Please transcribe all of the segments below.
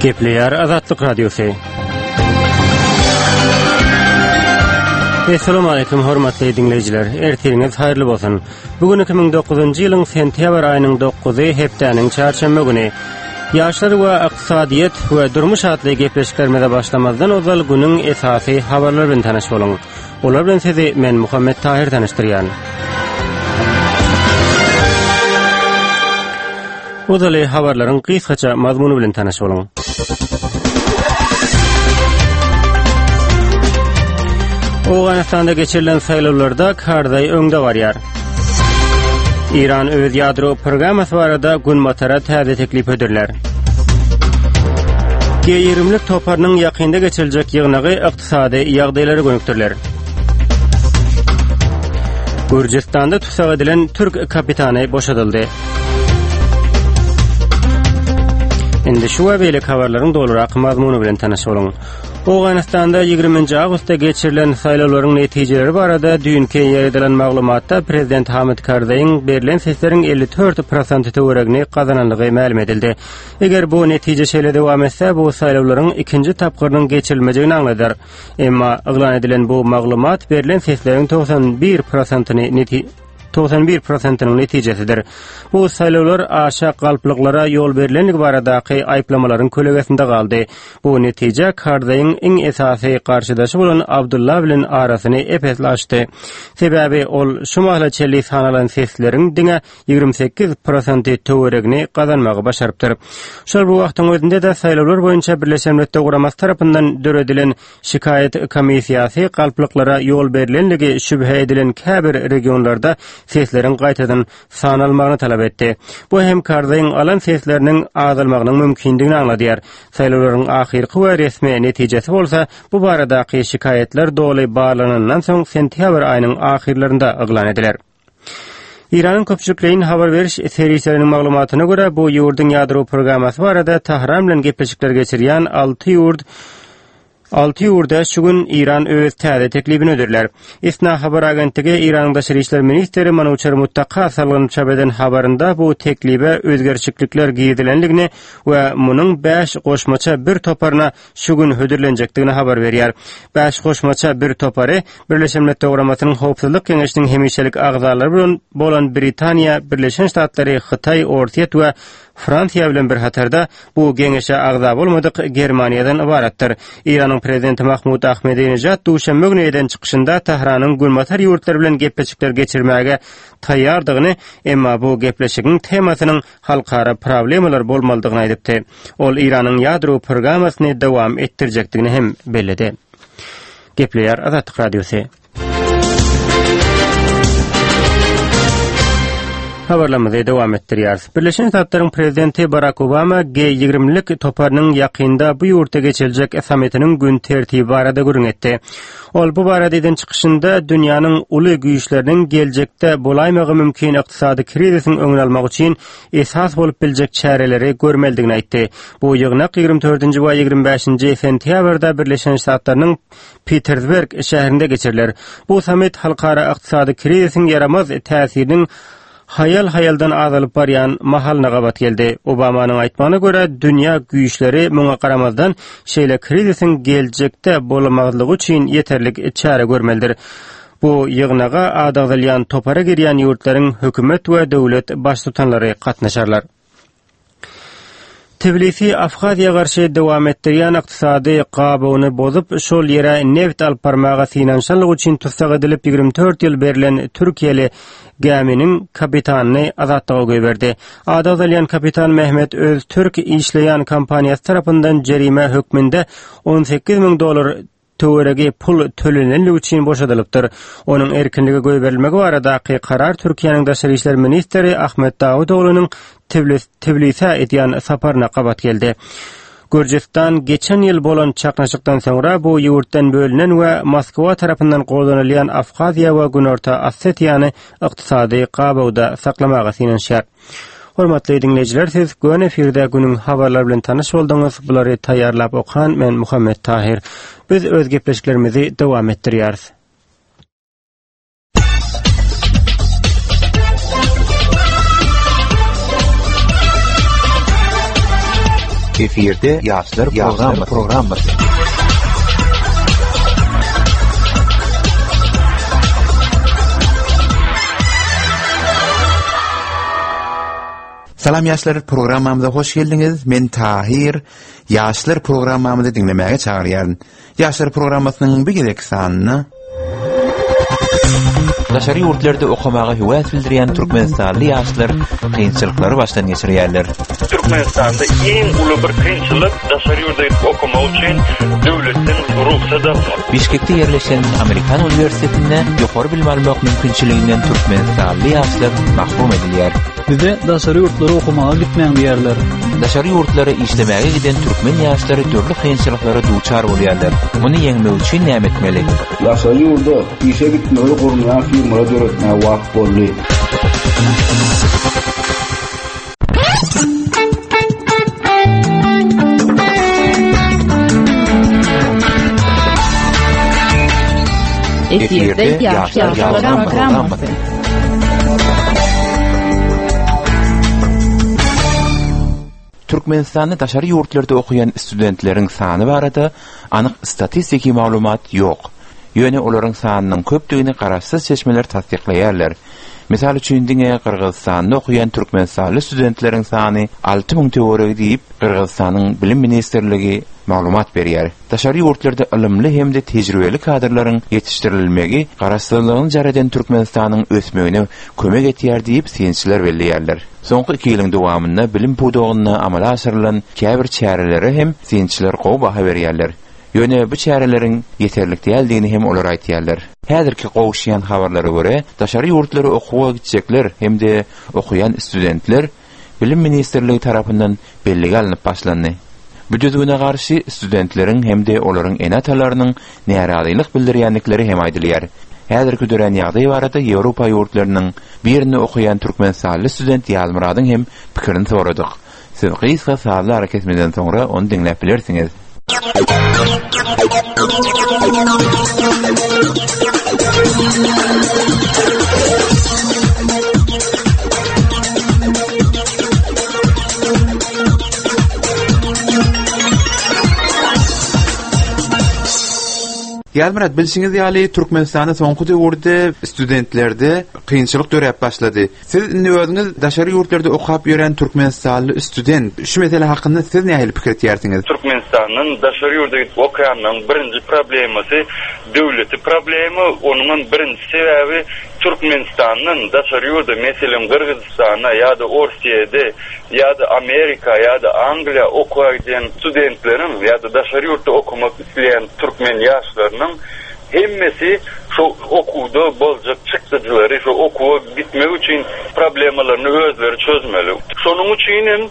Gepleýär Azatlyk Radiosy. Assalamu alaykum hormatly diňleýjiler. Ertiriňiz haýyrly bolsun. Bu gün 2009-njy ýylyň sentýabr aýynyň 9-y hepdäniň çarşenbe güni. Ýaşlar we ykdysadyýet we durmuş atly gepleşiklerimize başlamazdan ozal günüň esasy habarlary bilen tanyş boluň. Olar bilen sizi men Muhammet Tahir tanyşdyrýan. Ozaly habarlaryň gysgaça mazmuny bilen tanyş boluň. Owganystanda geçirilen saýlawlarda Karzaý öňde barýar. Eýran öz ýadro programmasy barada Günbatara täze teklip hödürlär. G20-lik toparynyň ýakynda geçiriljek ýygnagy ykdysady ýagdaýlara gönükdiriler. Gürjüstanda tussag edilen türk kapitany boşadyldy. Indi şu we beýleki habarlaryň dolurak mazmuny bilen tanyş boluň. Owganystanda 20-nji awgustda geçirilen saýlawlaryň netijeleri barada düýnki ýaýradylan maglumatda prezident Hamid Karzaýyň berlen sesleriň 54 prosenti töweregini gazanandygy mälim edildi. Eger bu netije şeýle dowam etse, bu saýlawlaryň ikinji tapgyrynyň geçirilmejegini aňladar. Emma yglan edilen bu maglumat berlen sesleriň 91 prosentini 91 prosentiniň netijesidir. Bu saýlawlar aşa galplyklara ýol berlenligi baradaky aýyplamalaryň kölegesinde galdy. Bu netije Karzaýyň iň esasy garşydaşy bolan Abdulla bilen arasyny ep-esli açdy. Sebäbi ol şu mahala çenli sanalan sesleriň diňe 28 prosenti töweregini gazanmagy başarypdyr. Şol bir wagtyň özünde-de saýlawlar boýunça Birleşen Milletler Guramasy tarapyndan döredilen Şikaýat komissiýasy galplyklara ýol berlenligi şübhe edilen käbir regionlarda sesleriň gaýtadan sanalmagyny talap etdi. Bu hem Karzaýyň alan sesleriniň azalmagynyň mümkindigini aňladýar. Saýlawlaryň ahyrky we resmi netijesi bolsa bu baradaky şikaýatlar doly barlanandan soň sentýabr aýynyň ahyrlarynda yglan ediler. Eýranyň köpçülikleýin habar beriş serişdeleriniň maglumatyna görä, bu ýurduň ýadro programmasy barada Tahran bilen gepleşikler geçirýän alty ýurt alty ýurda şu gün Eýran öz täze teklibini hödürlär. ISNA habar agentligi Eýranyň daşary işler ministri Manuçer Muttaka salgylanyp çap eden habarynda bu teklibe özgerişiklikler girizilendigini we munuň bäş goşmaça bir toparyna şu gün hödürlenjekdigini habar berýär. Bäş goşmaça bir topary Birleşen Milletler Guramasynyň Howpsuzlyk Geňeşiniň hemişelik agzalary bilen bolan Britaniýa, Birleşen Ştatlary, Hytaý, Orsýet we Fransiýa bilen bir hatarda bu geňeşe agza bolmadyk Germaniýadan ybaratdyr. Eýranyň prezidenti Mahmud Ahmedinejad duşenbe güni eden çykyşynda Tähranyň Günbatar ýurtlary bilen gepleşikler geçirmäge taýýardygyny, emma bu gepleşigiň temasynyň halkara problemalar bolmalydygyny aýdypdy. Ol Eýranyň ýadro programmasyny dowam etdirjekdigini hem belledi. Gepleýär Azatlyk Radiosy. Habarlarymyzy dowam etdirýäris. Birleşen Ştatlaryň prezidenti Barak Obama G20-lik toparynyň ýakynda bu ýurtda geçiriljek sammitiniň gün tertibi barada gürrüň etdi. Ol bu barada eden çykyşynda dünýäniň uly güýçleriniň geljekde bolaýmagy mümkin ykdysady krizisiň öňüni almak üçin esas bolup biljek çäreleri görmelidigini aýtdy. Bu ýygnak 24-nji we 25-nji sentýabrda Birleşen Ştatlarynyň Pitersberg şäherinde geçiriler. Bu sammit halkara ykdysady krizisiň ýaramaz täsiriniň haýal-haýaldan azalyp barýan mahalyna gabat geldi. Obamanyň aýtmagyna görä, dünýä güýçleri muňa garamazdan, şeýle krizisiň geljekde bolmazlygy üçin ýeterlik çäre görmelidir. Bu ýygnaga ady agzalýan topara girýän ýurtlaryň hökümet we döwlet baştutanlary gatnaşarlar. Tbilisi Abhaziýa garşy dowam etdirýän ykdysady gabawyny bozup, şol ýere nebit alyp barmaga synanyşanlygy üçin tussag edilip, 24 ýyl berlen türkiýeli gäminiň kapitanyny azatlyga goýberdi. Ady agzalýan kapitan Mehmet Öztürk işleýän kompaniýasy tarapyndan jerime hökmünde 18 müň dollar töweregi pul tölenenligi üçin boşadylypdyr. Onuň erkinlige goýberilmegi baradaky karar Türkiýäniň daşary işler ministri Ahmet Dawutoglunyň Tbilisä edýän saparyna gabat geldi. Gürjüstan geçen ýyl bolan çaknyşykdan soňra bu ýurtdan bölünen we Moskwa tarapyndan goldanylýan Abhaziýa we Günorta Osetiýany ykdysady gabawda saklamaga synanyşýar. Hormatly diňleýjiler, siz göni efirde günüň habarlary bilen tanyş bolduňyz. Bulary taýýarlap okan men Muhammet Tahyr. Biz öz gepleşiklerimizi dowam etdirýäris. Efirde ýaşlar programmasy. Salam ýaşlar programmamyza hoş geldiňiz. Men Tahir. Ýaşlar programmamyzy diňlemäge çagyrýaryn. Ýaşlar programmasynyň bu gezekki sanynda Daşary ýurtlarda okamaga höwes bildirýän türkmenistanly ýaşlar kynçylyklary başdan geçirýärler. Türkmenistanda iň uly bir kynçylyk daşary ýurda gidip okamak üçin döwletden rugsat almak. Bişkekde ýerleşen Amerikan uniwersitetinde ýokary bilim almak mümkinçiliginden türkmenistanly ýaşlar mahrum edilýär. Bize daşary ýurtlara okamaga gitmäň diýýärler. Daşary ýurtlara işlemäge giden türkmen ýaşlary dürli kynçylyklara duçar bolýarlar. Muny ýeňmek üçin näme etmeli? Daşary ýurda işe gitmegi gurnaýan firmalar döretmäge wagt boldy. Efirde ýaşlar programmasy. Türkmenistanda daşary ýurtlarda okaýan studentleriň sany barada anyk statistiki maglumat ýok. Ýöne olaryň sanynyň köpdügini garaşsyz çeşmeler tassyklaýarlar. Mysal üçin, diňe Gyrgyzystanda okaýan türkmenistanly studentleriň sany 6000 töweregi diýip, Gyrgyzystanyň Bilim ministrligi maglumat berýär. Daşary ýurtlarda ylymly hem-de tejribeli kadrlaryň ýetişdirilmegi garaşsyzlygyny jar eden Türkmenistanyň ösmegine kömek etýär diýip, synçylar belleýärler. Soňky iki ýylyň dowamynda bilim pudagynda amala aşyrylan käbir çärelere hem synçylar gowy baha berýärler. Ýöne bu çäreleriň ýeterlik däldigini hem olar aýtýarlar. Häzirki gowuşýan habarlara görä, daşary ýurtlara okuwa gitjekler hem-de okaýan studentler Bilim ministrligi tarapyndan bellige alnyp başlandy. Bu düzgüne garşy studentleriň hem-de olaryň ene-atalarynyň närazylyk bildirýändikleri hem aýdylýar. Häzirki dörän ýagdaý barada Ýewropa ýurtlarynyň birinde okaýan türkmenistanly student Ýazmyradyň hem pikirini soradyk. Siz gysga sazly arakesmeden soňra ony diňläp bilersiňiz. Ýazmyrat, bilşiňiz ýaly, Türkmenistanda soňky döwürde studentlerde kynçylyk döräp başlady. Siz indi özüňiz daşary ýurtlarda okap ýören türkmenistanly student. Şu mesele hakynda siz nähili pikir etýärsiňiz? Türkmenistandan daşary ýurda gidip okaýanlaryň birinji problemasy döwleti problema, onuňam birinji sebäbi Türkmenistandan daşary ýurda, meselem Gyrgyzystana ýa-da Orsýede ýa-da Amerika ýa-da Angliýa okuwa gidýän studentleriň ýa-da daşary ýurtda okamak isleýän türkmen ýaşlarynyň Hemmesi şo okuwda boljak çykdajylary, şo okuwa gitmek üçin problemalaryny özleri çözmeli. Şonuň üçin hem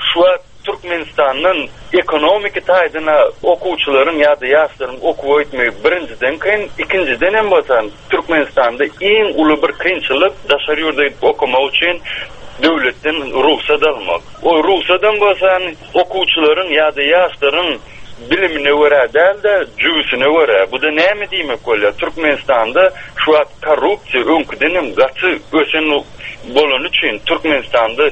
şu wagt Türkmenistandan ekonomiki taýdan-a okuwçylaryň ýa-da ýaşlaryň okuwa gitmegi birinjiden kyn, ikinjiden hem bolsa Türkmenistanda iň uly bir kynçylyk daşary ýurda gidip okamak üçin döwletden rugsat almak. O rugsadam bolsa okuwçylaryň ýa-da ýaşlaryň bilimine görä däl-de, jübüsine görä. Bu-da näme diýmek bolýar? Türkmenistanda şu wagt korrupsiýa öňküden hem gaty ösen bolany üçin Türkmenistanda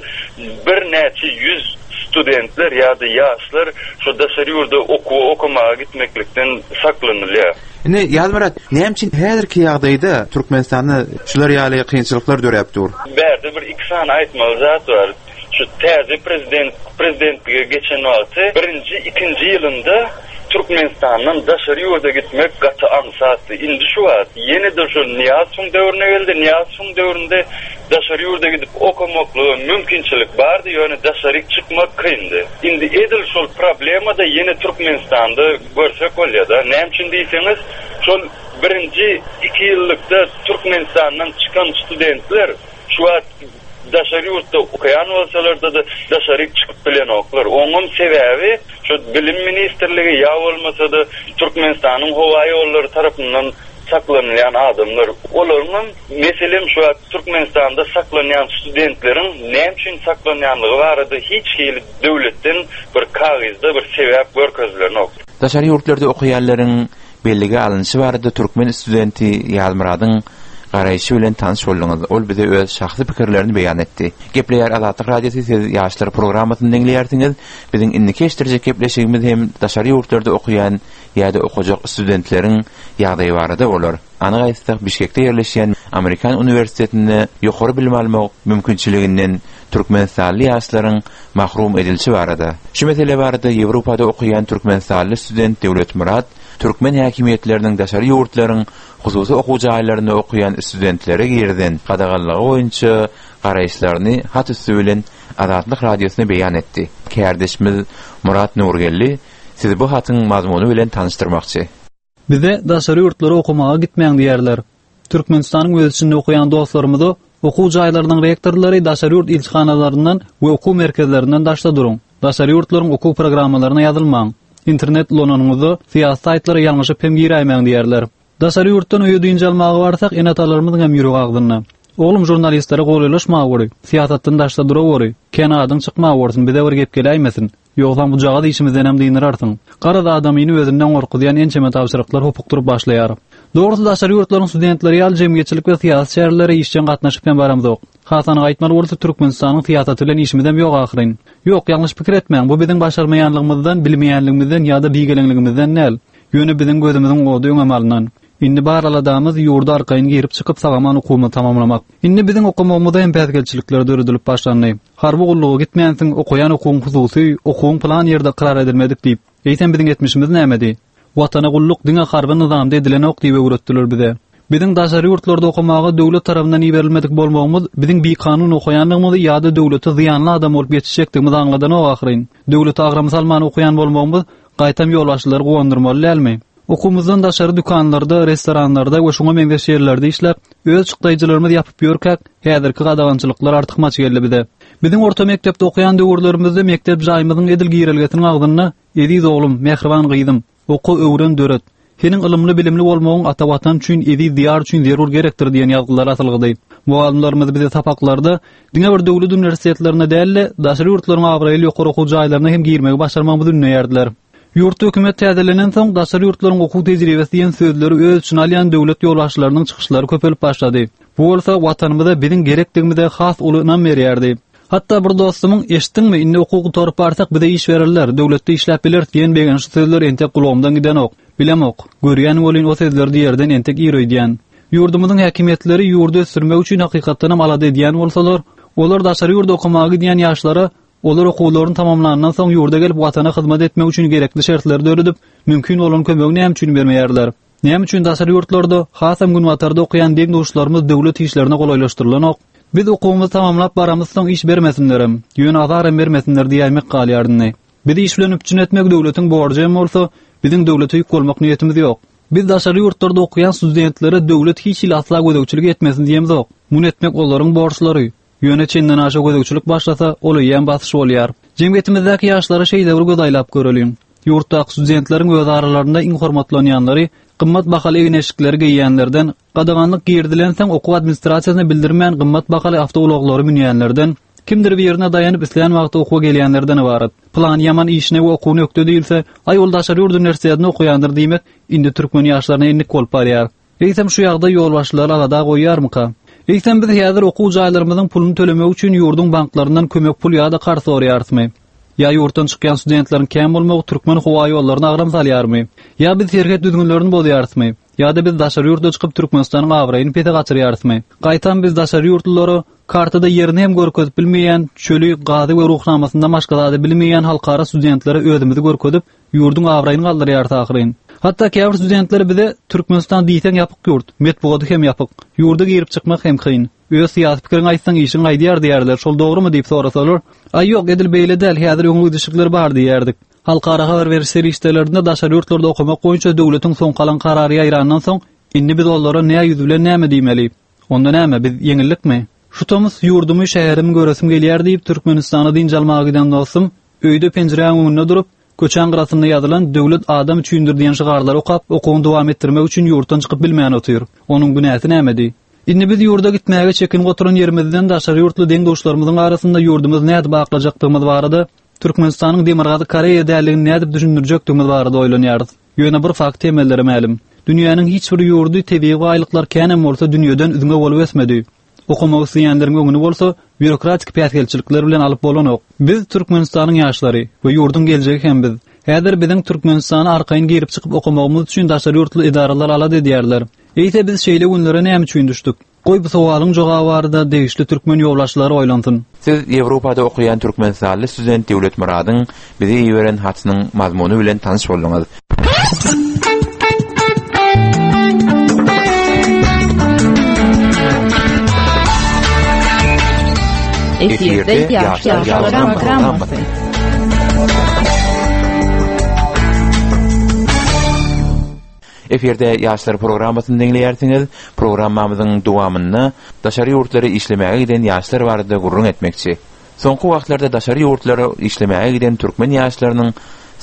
birnäçe ýüz studentler ýa-da ýaşlar şu daşary ýurda okuwa okamaga gitmeklikden saklanylýar. Indi Ýazmyrat, näme üçin häzirki ýagdaýda Türkmenistanda şular ýaly kynçylyklar döräp dur? Bärde bir iki sany aýtmaly zat bar. Şu täze prezident prezidentlige geçen wagty birinji, ikinji ýylynda Türkmenistandan daşary ýurda gitmek gaty aňsatdy. Indi şu wagt ýene-de şol Nyýazowyň döwrüne geldi. Nyýazowyň döwründe daşary ýurda gidip okamaklyga mümkinçilik bardy, ýöne daşaryk çykmak kyndy. Indi edil şol problema-da ýene Türkmenistanda görsek bolýar-da. Näme üçin diýseňiz, şol birinji iki ýyllykda Türkmenistandan çykan studentler şu wagt Daşary ýurtda okaýan bolsalarda-da daşaryk çykyp bilenoklar. Oňam sebäbi şu Bilim ministrligi ýa bolmasa-da Türkmenistanyň howa ýollary tarapyndan saklanylýan adamlar. Olaryňam meselem şu wagt Türkmenistanda saklanýan studentleriň näme üçin saklanýanlygy barada hiç hili döwletden bir kagyzda bir sebäp görkezilenok. Daşary ýurtlarda okaýanlaryň bellige alnyşy barada türkmen studenti Ýazmyradyň. garaýşy bilen tanyş bolduňyz. Ol bize öz şahsy pikirlerini beýan etdi. Gepleýär Azatlyk Radiosy siz ýaşlar programmasyny diňleýärsiňiz. Biziň indiki eşitdirjek gepleşigimiz hem daşary ýurtlarda okaýan ýa-da okajak studentleriň ýagdaýy barada bolar. Anyk aýtsak, Bişkekde ýerleşýän Amerikan uniwersitetinde ýokary bilim almak mümkinçiliginden türkmenistanly ýaşlaryň mahrum edilişi barada. Şu mesele barada Ýewropada okaýan türkmenistanly student Döwletmyrat türkmen häkimiýetleriniň daşary ýurtlaryň hususy okuw jaýlarynda okaýan studentlere girizen gadaganlygy boýunça garaýyşlaryny hat üsti bilen Azatlyk Radiosyna beýan etdi. Kärdeşimiz Myrat Nurgeldi sizi bu hatyň mazmuny bilen tanyşdyrmakçy. Bize daşary ýurtlara okamaga gitmäň diýýärler. Türkmenistanyň öz içinde okaýan dostlarymyza okuw jaýlarynyň rektorlary daşary ýurt ilçihanalaryndan we okuw merkezlerinden daşda duruň, daşary ýurtlaryň okuw programmalaryna ýazylmaň, internet ulananyňyzda syýasy saýtlara ýalňyşyp hem giräýmäň diýýärler. Daşary ýurtdan öýe dynç almaga barsak, ene-atalarymyzyň hem ýüregi agzynda. Oglum žurnalistlere golaýlaşmaweri, syýasatdan daşda duraweri, kän adyň çykmawersin, bize bir gep geläýmesin. Ýogsam bujagaz işimizdenem dynararsyň. Garaz adamyny özünden gorkuzýan ençeme tabşyryklar hopukdyryp başlaýar. Dogrusy daşary ýurtlaryň studentleri ýaly jemgyýetçilik we syýasy çärelere işjeň gatnaşyp hem baramzok. Has anyk aýtmaly bolsa Türkmenistanyň syýasaty bilen işimizem ýok ahyryn. Ýok, ýalňyş pikir etmäň, bu biziň başarmaýanlygymyzdan, bilmeýänligimizden ýa-da bigeleňligimizden däl. Ýöne biziň gözümiziň ody öňem alnan. Indi bar aladamyz ýurda arkaýyn girip-çykyp sag-aman okuwymyzy tamamlamak. Indi biziň okamagymyza hem päsgelçilikler döredilip başlandy. Harby gulluga gitmänsiň, okaýan okuwyň hususy, okuwyň pylan ýerde ykrar edilmedik diýip. Eýsem biziň etmişimiz nämedi? Watana gulluk diňe harby nyzamda edilenok diýip öwretdiler bize. Biziň daşary ýurtlarda okamaga döwlet tarapyndan iberilmedik bolmagymyz biziň bikanun okaýandygymyzy ýa-da döwlete zyýanly adam bolup ýetişjekdigimizi aňladanok ahyryn. Döwlete agram salman okaýan bolmagymyz gaýtam ýolbaşçylary guwandyrmaly dälmi? Okuwymyzdan daşary dükanlarda, restoranlarda we şuňa meňzeş ýerlerde işläp, öz çykdaýjylarymyzy ýapyp ýörkäk, häzirki gadagançylyklar artykmaç geldi bize. Biziň orta mekdepde okaýan döwürlerimizde mekdep jaýymyzyň edil girelgesiniň agzynda Eziz oglum, mähriban gyzym, oka, öwren, döret. Seniň ylymly-bilimli bolmagyň ata Watan üçin, eziz Diýar üçin zerur gerekdir diýen ýazgylar asylgydy. Mugallymlarymyz bize sapaklarda diňe bir döwlet uniwersitetlerine däl-de, daşary ýurtlaryň abraýly ýokary okuw jaýlaryna hem girmegi başarmagymyzy ündeýärdiler. Ýurtda hökümet täzelenensoň, daşary ýurtlaryň okuw tejribesi diýen sözleri öz içine alýan döwlet ýolbaşçylarynyň çykyşlary köpelip başlady. Bu bolsa Watanymyza biziň gerekdigimize has uly ynam berýärdi. Hatda bir dostumyň, Eşitdiňmi, indi okuw gutaryp barsak bize iş bererler, döwletde işläp bileris diýen begençli sözleri entek gulagymdan gidenok. Bilemok. Görýän welin o sözleri diýerden entek ir öýdýän. Ýurdumyzyň häkimiýetleri ýurdy ösdürmek üçin hakykatdanam alada edýän bolsalar, olar daşary ýurda okamaga gidýän ýaşlara Olar okuwlaryny tamamlandan soň ýurda gelip Watana hyzmat etmek üçin gerekli şertleri döredip, mümkin bolan kömegi näme üçin bermeýärler? Näme üçin daşary ýurtlarda, hasam günbatarda okaýan deň-duşlarymyz döwlet işlerine golaýlaşdyrylanok? Biz okuwymyzy tamamlap baramyzsoň iş bermesinlerem, ýöne azaram bermesinler diýäýmek galýar indi. Bizi iş bilen üpjün etmek döwletiň borjy hem bolsa, biziň döwlete ýük bolmak niýetimiz ýok. Biz daşary ýurtlarda okaýan studentlere döwlet hiç hili asla gözegçilik etmesin diýemzok. Muny etmek olaryň borçlary. Ýöne çendenaşa gözegçilik başlasa, ol eýýäm basyş bolýar. Jemgyýetimizdäki ýaşlara şeýle bir göz aýlap göreliň. Ýurtdaky studentleriň öz aralarynda iň hormatlanýanlary gymmat bahaly egin-eşikleri geýýänlerden, gadaganlyk girizilensoň okuw administrasiýasyna bildirmän gymmat bahaly awtoulaglary münýänlerden, kimdir birine daýanyp islän wagty okuwa gelýänlerden ybarat. Pylany ýaman işine we okuwyna ökde diýilse, aý ol daşary ýurt uniwersitetinde okaýandyr diýmek indi türkmen ýaşlaryna endik bolup barýar. Eýsem şu ýagdaý ýolbaşçylary alada goýýarmyka? Eýsem biz häzir okuw jaýlarymyzyň puluny tölemek üçin ýurduň banklaryndan kömek pul ýa-da karz soraýarysmy? Ýa ýurtdan çykýan studentleriň kän bolmagy türkmen howaýollaryna agram salýarmy? Ýa biz serhet düzgünlerini bozýarysmy? Ýa-da biz daşary ýurda çykyp Türkmenistanyň abraýyny pese gaçyrýarysmy? Gaýtam biz daşary ýurtlulara kartada ýerini hem görkezip bilmeýän, çöli, gazy we ruhnamasyndan başga zady bilmeýän halkara studentlere özümizi görkezip, Ýurduň abraýyny galdyrýarys ahyryn. Hatda käbir studentler bize Türkmenistan diýseň ýapyk ýurt, metbugaty hem ýapyk, ýurda girip çykmak hem kyn. Öz syýasy pikiriňi aýtsaň işiň gaýdýar diýýärler, şol dogrumy diýip sorasalar, Aý ýok, edil beýle däl, häzir öňe gidişlikler bar diýýärdik. Halkara habar beriş serişdelerinde daşary ýurtlarda okamak boýunça döwletiň soňky alan karary ýaýrandan soň, indi biz olara nä ýüz bilen näme diýmeli? Onda näme, biz ýeňildikmi? Şu tomus ýurdumy, şäherimi göresim gelýär diýip, Türkmenistana dynç almaga giden dostum, öýde penjiräň öňünde durup, Köçäň gyrasynda ýazylan Döwlet adam üçindir diýen şygarlary okap, okuwyny dowam etdirmek üçin ýurtdan çykyp bilmän otyr. Onuň günäsi nämedi? Indi biz ýurda gitmäge çekinip oturan ýerimizden daşary ýurtly deň-duşlarymyzyň arasynda ýurdumyzy nädip aklajakdygymyz barada, Türkmenistanyň Demirgazyk Koreýa däldigini nädip düşündirjekdigimiz barada oýlanýarys. Ýöne bir fakt hemmelere mälim. Dünýäniň hiç bir ýurdy tebigy baýlyklar känem bolsa dünýeden üzňe bolup ösmedi. Okamak isleýänleriň öňüni bolsa býurokratik päsgelçilikler bilen alyp bolanok. Biz Türkmenistanyň ýaşlary we ýurduň geljegi hem biz. Häzir biziň Türkmenistana arkaýyn girip-çykyp okamagymyz üçin daşary ýurtly edaralar alada edýärler. Eýse biz şeýle günlere näme üçin düşdük? Goý bu sowalyň jogaby barada degişli türkmen ýolbaşçylary oýlansyn. Siz Ýewropada okaýan türkmenistanly student Döwletmyradyň bize iberen hatynyň mazmuny bilen tanyş bolduňyz. Efirde ýaşlar programmasy. Efirde Ýaşlar programmasyny diňleýärsiňiz. Programmamyzyň dowamynda daşary ýurtlara işlemäge giden ýaşlar barada gürrüň etmekçi. Soňky wagtlarda daşary ýurtlara işlemäge giden türkmen ýaşlarynyň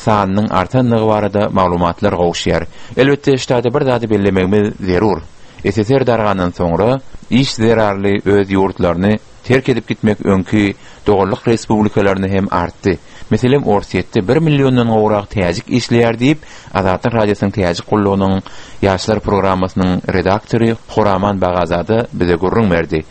sanynyň artandygy barada maglumatlar gowuşýar. Elbetde, ştada bir zady bellemegimiz zerur. SSR dargandan soňra, iş zerarly öz ýurtlaryny terk edip gitmek öňki doganlyk respublikalaryna hem artdy. Meselem, Orsýetde bir milliondan gowrak täjik işleýär diýip, Azatlyk Radiosynyň Täjik gullugynyň Ýaşlar programmasynyň redaktory Horaman Bagazada bize gürrüň berdi.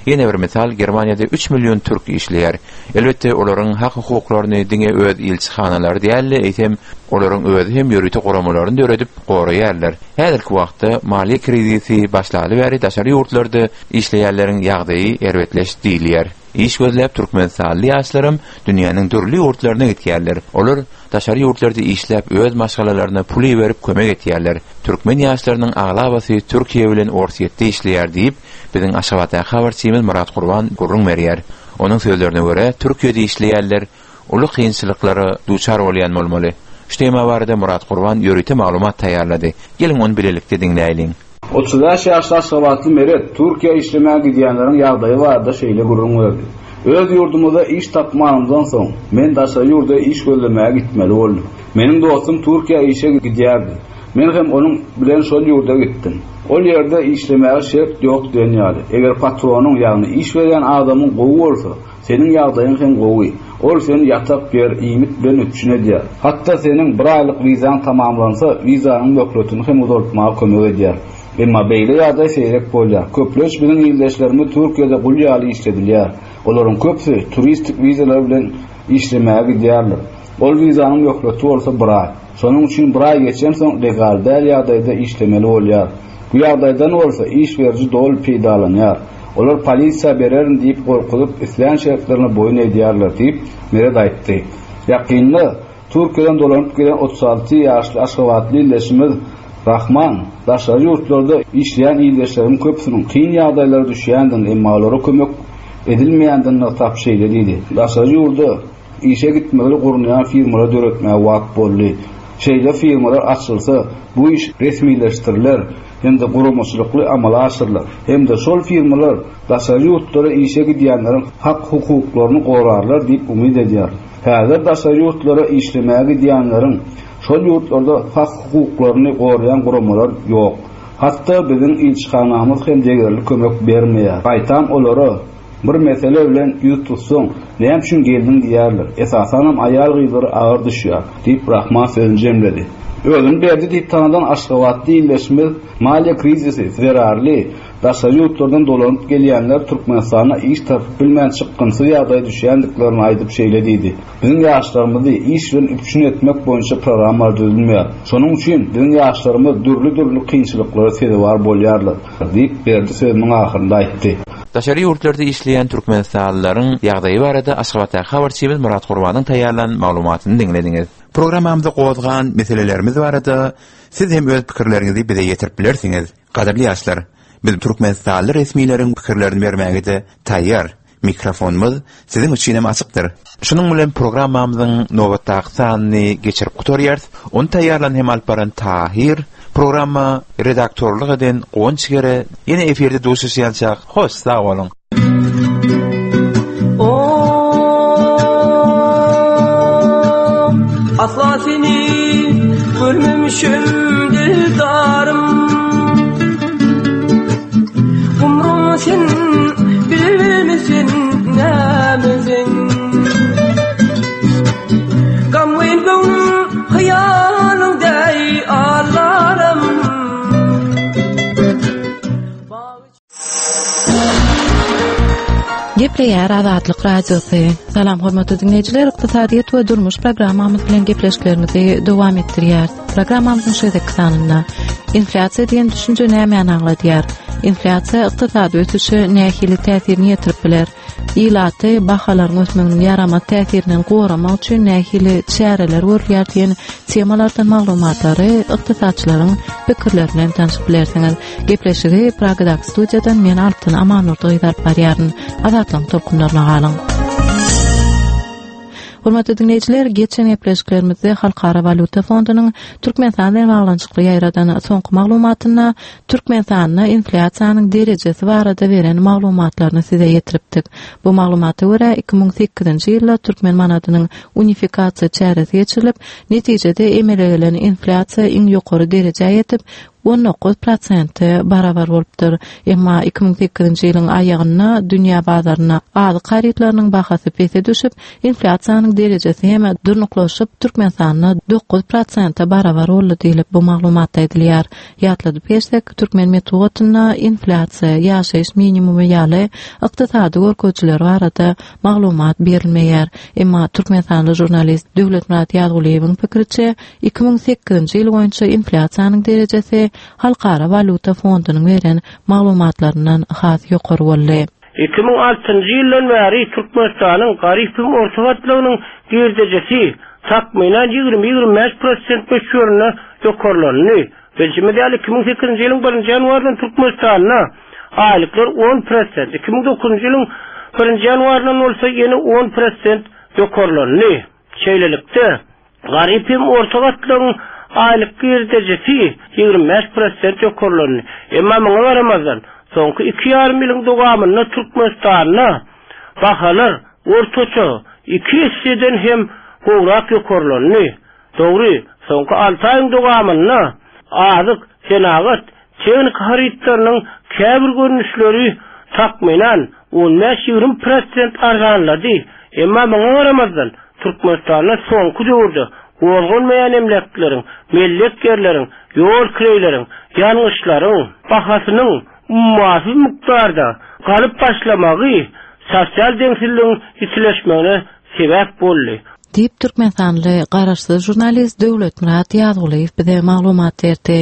Ýene bir mysal, Germaniýada üç million türk işleýär. Elbetde, olaryň hak-hukuklaryny diňe öz ilçihanalary däl-de, eýsem, olaryň özi hem ýörite guramalaryny döredip, goraýarlar. Häzirki wagtda, maliýe krizisi başlaly bäri daşary ýurtlarda işleýänleriň ýagdaýy erbetleşdi diýilýär. Iş gözläp türkmenistanly ýaşlaram dünýäniň dürli ýurtlaryna gitýärler. Olar daşary ýurtlarda işläp öz maşgalalaryna pul iberip kömek etýärler. Türkmen ýaşlarynyň aglabasy Türkiýe bilen Orsýetde işleýär diýip, biziň Aşgabatdaky habarçymyz Myrat Gurban gürrüň berýär. Onuň sözlerine görä, Türkiýede işleýänler uly kynçylyklara duçar bolýan bolmaly. Şu tema barada Myrat Gurban ýörite maglumat taýýarlady. Geliň ony bilelikde diňläýliň. 35 ýaşly aşgabatly Meret Türkiýä işlemäge gidýänleriň ýagdaýy barada şeýle gürrüň berdi, Öz ýurdumyzda iş tapmanymdan soň, men daşary ýurda iş gözlemäge gitmeli boldum. Meniň dostum Türkiýä işe gidýärdi. Men hem onuň bilen şol ýurda gitdim. Ol ýerde işlemäge şert ýok diýen ýaly. Eger patronyň, ýagny iş berýän adamyň gowy bolsa, seniň ýagdaýyň hem gowy. Ol seni ýatak ýer, iýmit bilen üpjün edýär. Hatda seniň bir aýlyk wizaň tamamlansa, wizanyň möhletini hem uzaltmaga kömek edýär. Emma beýle ýagdaý seýrek bolýar. Köplenç biziň ildeşlerimiz Türkiýede gul ýaly işledilýär. Olaryň köpüsi turistik wizalar bilen işlemäge gidýärler. Ol wizanyň möhleti bolsa bir aý. Şonuň üçin bir aý geçensoň legal däl ýagdaýda işlemeli bolýar. Bu ýagdaýdan bolsa iş beriji doly peýdalanýar. Olar polisiýa bererin diýip gorkuzyp, islän şertlerine boýun edýärler diýip, Meret aýtdy. Ýakynda Türkiýeden dolanyp gelen 36 ýaşly aşgabatly ildeşimiz Rahman daşary ýurtlarda işleýän ildeşleriniň köpüsiniň kyn ýagdaýlara düşýändigini, emma olara kömek edilmeýändigini nygtap şeýle diýdi, Daşary ýurda Işe gitmegini gurnaýan firmalar döretmäge wagt boldy. Şeýle firmalar açylsa, bu iş resmileşdiriler hem-de guramaçylykly amala aşyrylar hem-de şol firmalar daşary ýurtlara işe gidýänleriň hak-hukuklaryny gorarlar diýip umyt edýärin. Häzir daşary ýurtlara işlemäge gidýänleriň şol ýurtlarda hak-hukuklaryny goraýan guramalar ýok. Hatda biziň ilçihanamyz hem degerli kömek bermeýär. Gaýtam olara Bir mesele bilen ýüz tutsaň, näme üçin geldiň diýerler. Esasanam aýal-gyzlara agyr düşýär, diýip, Rahman sözüni jemledi. Özüni Berdi diýip tanadan aşgabatly ildeşimiz maliýe krizisi zerarly daşary ýurtlardan dolanyp gelýänler Türkmenistanda iş tapyp bilmän çykgynsyz ýagdaýa düşýändiklerini aýdyp şeýle diýdi, Biziň ýaşlarymyzy iş bilen üpjün etmek boýunça programmalar düzülmeýär. Şonuň üçin biziň ýaşlarymyz dürli-dürli kynçylyklara sezewar bolýarlar. Diýip, Berdi sözüniň ahyrynda aýtdy. Daşary ýurtlarda işleýän türkmenistanlylaryň ýagdaýy barada Aşgabatdaky habarçymyz Myrat Gurbanyň taýýarlan maglumatyny diňlediňiz. Programmamyzda gozgan meselelerimiz barada siz hem öz pikirleriňizi bize ýetirip bilersiňiz. Gadyrly ýaşlar, biz türkmenistanly resmileriň pikirlerini bermäge-de taýýar. Mikrofonymyz siziň üçin hem açykdyr. Şunuň bilen programmamyzyň nobatdaky sanyny geçirip gutarýarys. Ony taýýarlan hem alyp baran Tahyr, programma redaktorlyk eden Guwanç Gere. Ýene efirde duşuşýançak, hoş sag boluň! Asla seni görmemişim dildarım Umrum sen bilmesin nämesin Gamgyn göwnüm hyýalyň deý allarym. Gepleýär Azatlyk Radiosy. Salam hormatly diňleýjiler, ykdysadyýet we durmuş programmamyz bilen gepleşiklerimizi dowam etdirýäris. Programmamyzyň şu gezekki sanynda inflýasiýa diýen düşünje nämäni aňladýar? Inflýasiýa ykdysady ösüşe nähili täsirini ýetirip biler? Ilaty bahalaryň ösmeginiň ýaramaz täsirinden goramak üçin nähili çäreler görülýär diýen temalardan maglumatlary ykdysatçylaryň pikirleri bilen tanşyp bilersiňiz. Gepleşigi Pragadaky studiýadan men Altyn Amandurdy gyz alyp barýaryn. Azatlygyň tolkunlaryna galyň. Hormatly diňleýjiler, geçen gepleşiklerimizde Halkara walýuta fondunyň Türkmenistan bilen baglanyşykly ýaýradan soňky maglumatynda Türkmenistanda inflýasiýanyň derejesi barada beren maglumatlaryny size ýetiripdik. Bu maglumata görä, 2008-nji ýylda türkmen manadynyň unifikasiýa çäresi geçirilip, netijede emele gelen inflýasiýa iň ýokary derejä ýetip, 19 prosente barabar bolupdyr. Emma 2008-nji ýylyň aýagynda dünýä bazarynda azyk harytlarynyň bahasy pese düşüp, inflýasiýanyň derejesi hem durnuklaşyp, Türkmenistanda 9 prosente barabar boldy diýlip, bu maglumatda aýdylýar. Ýatladyp geçsek, türkmen metbugatynda inflýasiýa, ýaşaýyş minimumy ýaly ykdysady görkezijiler barada maglumat berilmeýär. Emma türkmenistanly žurnalist Döwletmyrat Ýazgulyýewiň pikiriçe, 2008-nji ýyl boýunça inflýasiýanyň derejesi Halkara walýuta fondunyň beren maglumatlaryndan has ýokary boldy. 2006-njy ýyldan bäri Türkmenistanyň garyp hem orta gatlagynyň girdejisi takmynan ýigrimi-ýigrimi bäş prosent möçberinde ýokarlandy. Bilşimiz ýaly, 2008-nji ýylyň birinji ýanwaryndan Türkmenistanda aýlyklar on prosent, 2009-njy ýylyň birinji ýanwaryndan bolsa ýene on prosent ýokarlandy. Şeýlelikde, Garyp hem orta gatlagyň aýlyk girdejisi 25 prosent ýokarlandy. Emma muňa garamazdan, soňky iki ýarym ýylyň dowamynda Türkmenistanda bahalar ortaça iki esseden hem gowrak ýokarlandy. Dogry, soňky alty aýyň dowamynda azyk, senagat, tehnika harytlarynyň käbir görnüşleri takmynan on bäş-ýigrimi prosent arzanlady. Emma muňa garamazdan, Türkmenistanda soňky döwürde gozgalmaýan emläkleriň, mellek ýerleriň, ýol kireýleriň, ýangyçlaryň bahasynyň ummasyz mukdarda galyp başlamagy sosial deňsizligiň ýitileşmegine sebäp boldy. Diýip, türkmenistanly garaşsyz žurnalist Döwletmyrat Ýazgulyýew bize maglumat berdi.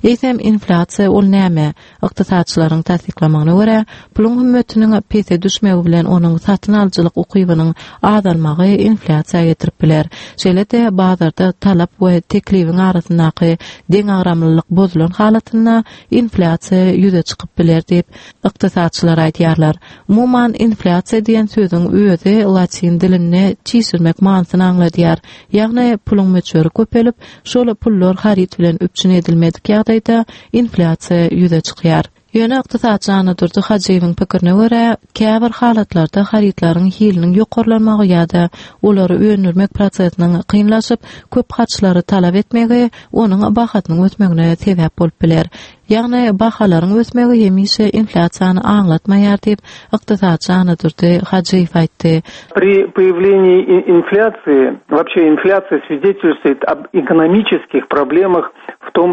Eýsem, inflýasiýa ol näme? Ykdysatçylaryň tassyklamagyna görä, puluň hümmetiniň pese düşmegi bilen onuň satyn alyjylyk ukybynyň azalmagy inflýasiýa getirip biler. Şeýle-de, bazarda talap we teklibiň arasyndaky deňagramlylyk bozulan halatynda inflýasiýa ýüze çykyp biler diýip, ykdysatçylar aýdýarlar. Umuman, inflýasiýa diýen sözüň özi latyn dilinde çişirmek manysyny aňladýar. Ýagny, puluň möçberi köpelip, şol pullar haryt bilen üpjün edilmedik ýagdaýda inflýasiýa ýüze çykýar. Ýöne ykdysatçy Annadurdy Hajyýewiň pikirine görä, käbir halatlarda harytlaryň hiliniň ýokarlanmagy ýa-da olary öndürmek prosesiniň kynlaşyp, köp harçlary talap etmegi onuň bahasynyň ösmegine sebäp bolup biler. Ýagny, bahalaryň ösmegi hemişe inflýasiýany aňlatmaýar diýip, ykdysatçy Annadurdy Hajyýew aýtdy. При появлении инфляции, вообще инфляция свидетельствует об экономических проблемах в том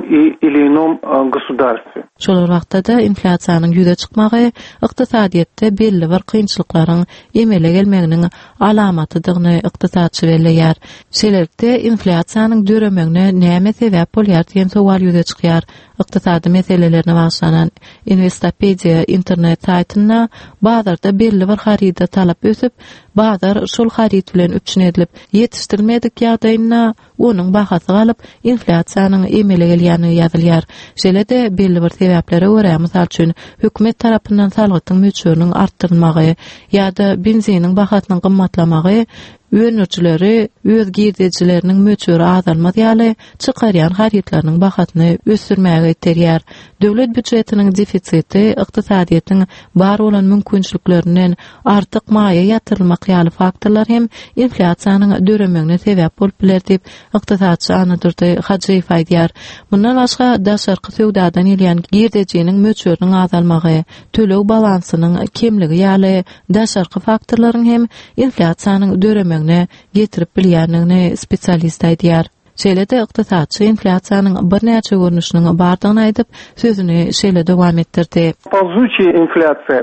или ином государстве. Şol bir wagtda-da, inflýasiýanyň ýüze çykmagy ykdysadyýetde belli bir kynçylyklaryň emele gelmeginiň alamatydygyny ykdysatçy belleýär. Şeýlelikde, inflýasiýanyň döremegine näme sebäp bolýar diýen sowal ýüze çykýar. Ykdysady meselelerine bagyşlanan Investopediýa internet saýtynda bazarda belli bir haryda talap ösüp, bazar şol haryt bilen üpjün edilip ýetişdirilmedik ýagdaýynda onuň bahasy galyp, inflýasiýanyň emele gelýändigi ýazylýar. Şeýle-de, belli bir sebäplere görä, mysal üçin, hökümet tarapyndan salgytyň möçberiniň artdyrylmagy ýa-da benziniň bahasynyň gymmatlamagy öndürijileri öz girdejileriniň möçberi azalmaz ýaly çykarýan harytlarynyň bahasyny ösdürmäge iterýär. Döwlet býujetiniň defisiti, ykdysadyýetiň bar bolan mümkinçiliklerinden artyk maýa ýatyrylmak ýaly faktorlar hem inflýasiýanyň döremegine sebäp bolup biler diýip, ykdysatçy Annadurdy Hajyýew aýdýar. Mundan başga, daşarky söwdadan gelýän girdejiniň möçberiniň azalmagy, töleg balansynyň kemligi ýaly daşarky faktorlaryň hem inflýasiýanyň döremegine getirip bilýändigini spesialist aýdýar. Şeýle-de ykdysatçy inflýasiýanyň birnäçe görnüşiniň bardygyny aýdyp, sözüni şeýle dowam etdirdi. Polzuçiýa inflýasiýa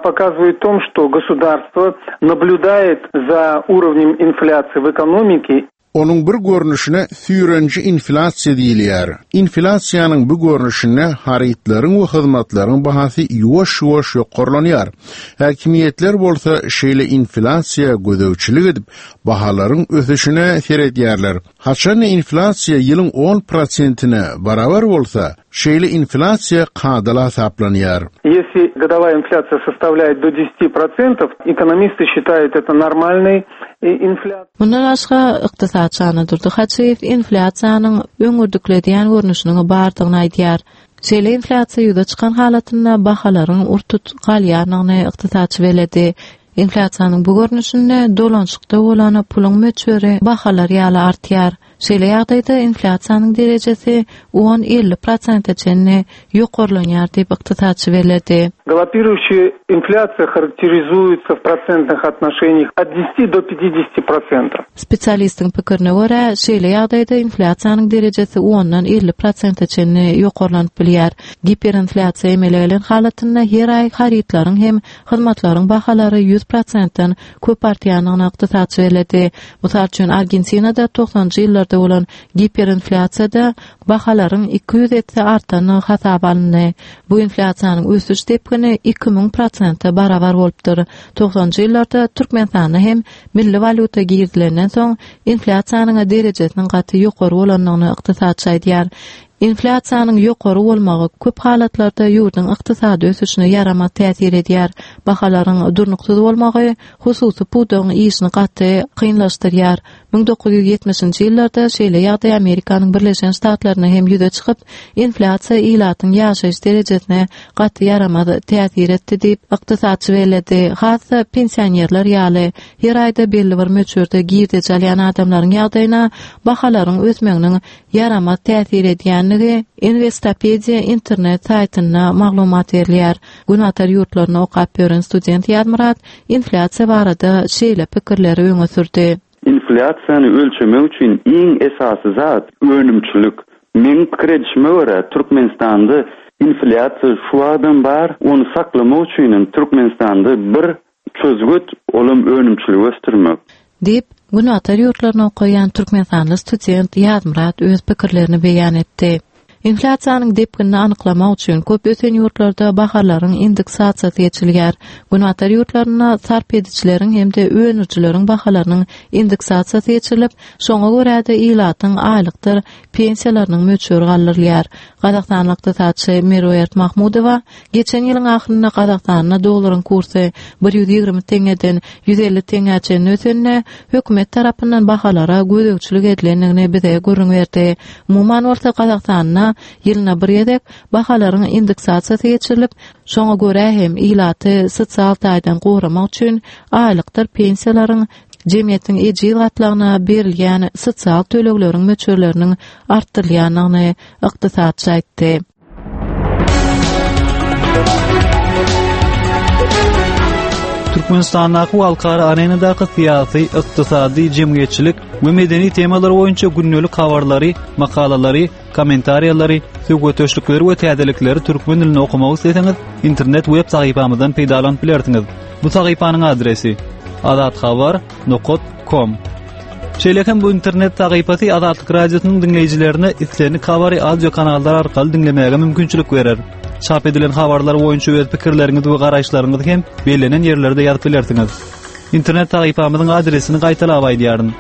pokazywает tom, što gosudarstwo nablýudaet za urovnem inflýasiýi w ekonomike. Onuň bir görnüşine süýreniji inflýasiýa diýilýär. Inflýasiýanyň bu görnüşinde harytlaryň we hyzmatlaryň bahasy ýuwaş-ýuwaş ýokarlanýar. Häkimiýetler bolsa şeýle inflýasiýa gözegçilik edip, bahalaryň ösüşine seredýärler. Haçan-da inflýasiýa ýylyň on prosentine barabar bolsa, şeýle inflýasiýa kadaly hasaplanýar. Ýesli godowaýa inflýasiýa sostavlýaet do deseti prosentov, ekonomisty şitaýut eto normalnoý inflýasiýa. Mundan başga, ykdysatçy Annadurdy Hajyýew inflýasiýanyň öňürdikledýän görnüşiniň bardygyny aýdýar. Şeýle inflýasiýa ýüze çykan halatynda bahalaryň ur-tut galýandygyny ykdysatçy belledi. Inflýasiýanyň bu görnüşinde dolanyşykda bolan puluň möçberi bahalar ýaly artýar. Şeýle ýagdaýda inflýasiýanyň derejesi on, 50 prosente çenli ýokarlanýar diýip, ykdysatçy belledi. Galopirujşiýa inflýasiýa harakterizuýetsa w prosentnyh otnoşeniýah ot deseti do pýatideseti prosentov. Spesialistiň pikirine görä, şeýle ýagdaýda inflýasiýanyň derejesi ondan 50 prosente çenli ýokarlanyp bilýär. Giperinflýasiýa emele gelen halatynda her aý harytlaryň hem hyzmatlaryň bahalary 100 prosentden köp artýandygyny ykdysatçy belledi. Mysal üçin, Argentinada togsanjy ýyllarda bolan giperinflýasiýada bahalaryň 200 esse artandygy hasaba alyndy. Bu inflýasiýanyň ösüş depgini 2000 prosente barabar bolupdyr. Togsanjy ýyllarda Türkmenistanda hem milli walýuta girizilenden soň inflýasiýanyň derejesiniň gaty ýokary bolandygyny ykdysatçy aýdýar. Inflýasiýanyň ýokary bolmagy köp halatlarda ýurduň ykdysady ösüşine ýaramaz täsir edýär. Bahalaryň durnuksyz bolmagy hususy pudagyň işini gaty kynlaşdyrýar. 1970-nji ýyllarda şeýle ýagdaý Amerikanyň Birleşen Ştatlarynda hem ýüze çykyp, inflýasiýa ilatyň ýaşaýyş derejesine gaty ýaramaz täsir etdi diýip, ykdysatçy belledi. Has-da pensionerler ýaly, her aýda belli bir möçberde girdeji alýan adamlaryň ýagdaýyna bahalaryň ösmeginiň ýaramaz täsir edýändigi Investopedia internet saýtynda maglumat berilýär. Günbatar ýurtlarynda okap ýören student Ýazmyrat inflýasiýa barada şeýle pikirleri öňe sürdi. Inflýasiýany ölçemek üçin iň esasy zat önümçilik. Meň pikir edişime görä, Türkmenistanda inflýasiýa şu wagtam bar, ony saklamak üçinem Türkmenistanda bir Çözgüt, olam önümçiligi ösdürmek. Diýip, Günbatar ýurtlarynda okaýan türkmenistanly student Ýazmyrat öz pikirlerini beýan etdi. Inflýasiýanyň depginini anyklamak üçin köp ösen ýurtlarda bahalaryň indeksasiýasy geçilýär. Günbatar ýurtlarynda sarp edijileriň hem-de öndürijileriň bahalarynyň indeksasiýasy geçirilip, şoňa görä-de ilatyň aýlykdyr pensiýalarynyň möçberi galdyrylýar. Gazagystanly ykdysatçy Meruert Mahmudowa Geçen ýylyň ahyrynda Gazagystanda dollaryň kursy 120 teňňeden 150 teňňä çenli ösende, hökümet tarapyndan bahalara gözegçilik edilendigini bize gürrüň berdi. Umuman bolsa, Gazagystanda ýylyna bir gezek bahalaryň indeksasiýasy geçirilip, şoňa görä hem ilaty sosial taýdan goramak üçin aýlykdyr pensiýalaryň jemgyýetiň ejiz gatlagyna berilýän sosial tölegleriň möçberleriniň artdyrylýandygyny ykdysatçy aýtdy. Türkmenistandaky we halkara arenadaky syýasy, ykdysady, jemgyýetçilik we medeni temalar boýunça gündelik habarlary, makalalary, kommentariýalary, söhbetdeşlikleri we täzelikleri türkmen dilinde okamak isleseňiz, internet web sahypamyzdan peýdalanyp bilersiňiz. Bu sahypanyň adresi: azathabar nokat kom. Şeýle hem bu internet sahypasy Azatlyk Radiosynyň diňleýjilerine islendik habary audio kanallar arkaly diňlemäge mümkinçilik berer. Çap edilen habarlar boýunça öz pikirleriňizi we garaýyşlaryňyzy hem bellenen ýerlerde ýazyp bilersiňiz. Internet sahypamyzyň adresini gaýtalap aýdýaryn.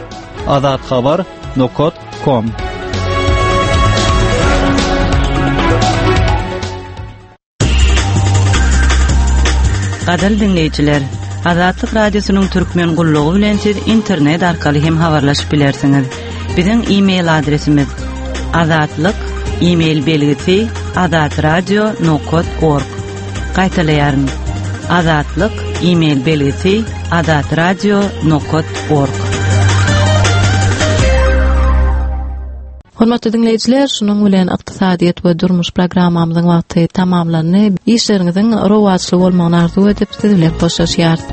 Azathabar nokat kom. Gadyrly diňleýjiler, Azatlyk Radiosynyň Türkmen gullugy bilen siz internet arkaly hem habarlaşyp bilersiňiz. Biziň e-mail adresimiz azatlyk e-mail belgisi azatradio nokat org. Gaýtalaýaryn. Azatlyk e-mail belgisi azatradio nokat org. Hormatly diňleýjiler, şunuň bilen ykdysadyýet we durmuş programmamyzyň wagty tamamlandy. Işleriňiziň rowaçly bolmagyny arzuw edip, siz bilen hoşlaşýarys.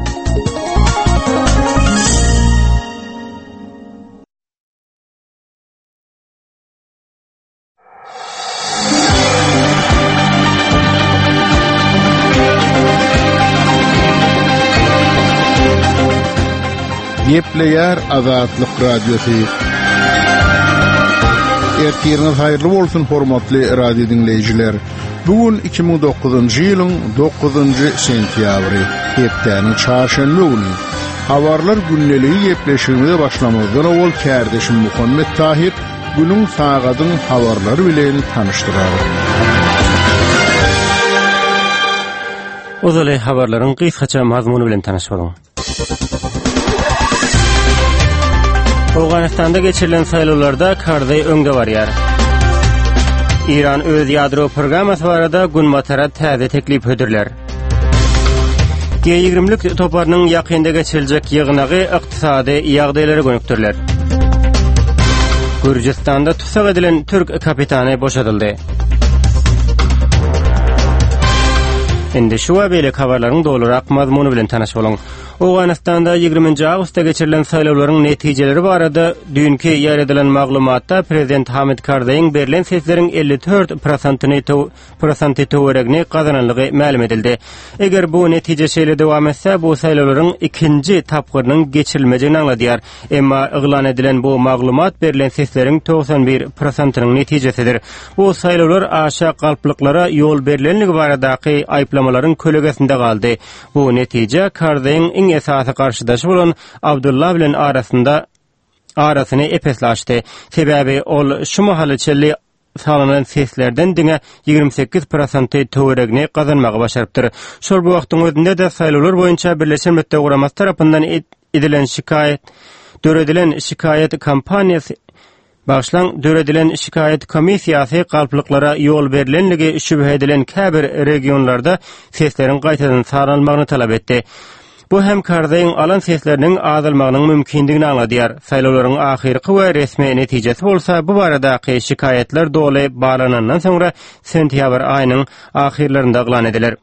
Gepleýär Azatlyk Radiosy. Ertiriňiz haýyrly bolsun, hormatly radio diňleýjiler. Bu gün 2009-njy ýylyň 9-njy sentýabry, hepdäniň çarşenbe güni. Habarlar gündeligi gepleşigimize başlamazdan owal kärdeşim Muhammet Tahir günüň sagadyň habarlary bilen tanyşdyrar. Ozaly habarlaryň gysgaça mazmuny bilen tanyş boluň. Owganystanda geçirilen saýlawlarda Karzaý öňde barýar. Eýran öz ýadro programmasy barada Günbatara täze teklip hödürlär. G20-lik toparynyň ýakynda geçiriljek ýygnagy ykdysady ýagdaýlara gönükdiriler. Gürjüstanda tussag edilen türk kapitany boşadyldy. Indi şu we beýleki habarlaryň dolurak mazmuny bilen tanyş boluň. Owganystanda 20-nji awgustda geçirilen saýlawlaryň netijeleri barada düýnki ýaýradylan maglumatda prezident Hamid Karzaýyň berlen sesleriň 54 prosentyny prosenty töweregini gazananlygy mälim edildi. Eger bu netije şeýle dowam etse, bu saýlawlaryň ikinji tapgyrynyň geçirilmejegini aňladýar. Emma yglan edilen bu maglumat berlen sesleriň 91 prosentynyň netijesidir. Bu saýlawlar aşa galplyklara ýol berlenligi baradaky aýyplamalaryň kölegesinde galdy. Bu netije Karzaýyň iň esasy garşydaşy bolan Abdulla bilen arasynda arasyny ep-esli açdy. Sebäbi ol şu mahala çenli sanalan seslerden diňe 28 prosenty töweregini gazanmagy başarypdyr. Şol bir wagtyň özünde-de saýlawlar boýunça Birleşen Milletler Guramasy tarapyndan edilen şikaýat döredilen şikaýat kampaniýasy Bagyşlaň, döredilen şikaýat komissiýasy galplyklara ýol berlenligi şübhe edilen käbir regionlarda sesleriň gaýtadan sanalmagyny talap etdi. Bu hem Karzaýyň alan sesleriniň azalmagynyň mümkindigini aňladýar. Saýlawlaryň ahyrky we resmi netijesi bolsa bu baradaky şikaýatlar doly barlanandan soňra sentýabr aýynyň ahyrlarynda yglan ediler.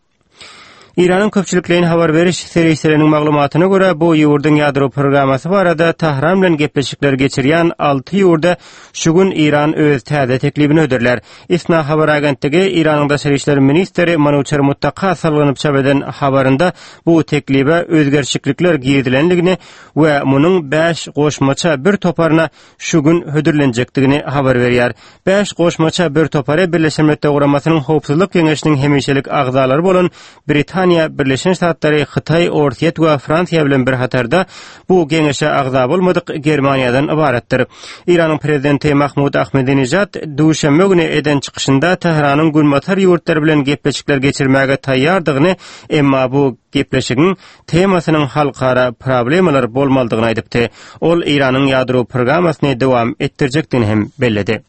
Eýranyň köpçülikleýin habar beriş serişdeleriniň maglumatyna görä, bu ýurduň ýadro programmasy barada Tahran bilen gepleşikler geçirýän alty ýurda şu gün Eýran öz täze teklibini hödürlär. ISNA habar agentligi Eýranyň daşary işler ministri Manuçer Muttaka salgylanyp çap eden habarynda bu teklibe özgerişiklikler girizilendigini we munuň bäş goşmaça bir toparyna şu gün hödürlenjekdigini habar berýär. Bäş goşmaça bir topary Birleşen Milletler Guramasynyň Howpsuzlyk Geňeşiniň hemişelik agzalary bolan Britaniýa, Birleşen Ştatlary, Hytaý, Orsýet we Fransiýa bilen bir hatarda bu geňeşe agza bolmadyk Germaniýadan ybaratdyr. Eýranyň prezidenti Mahmud Ahmedinejad duşenbe güni eden çykyşynda Tähranyň Günbatar ýurtlary bilen gepleşikler geçirmäge taýýardygyny, emma bu gepleşigiň temasynyň halkara problemalar bolmalydygyny aýdypdy. Ol Eýranyň ýadro programmasyny dowam etdirjekdigini hem belledi.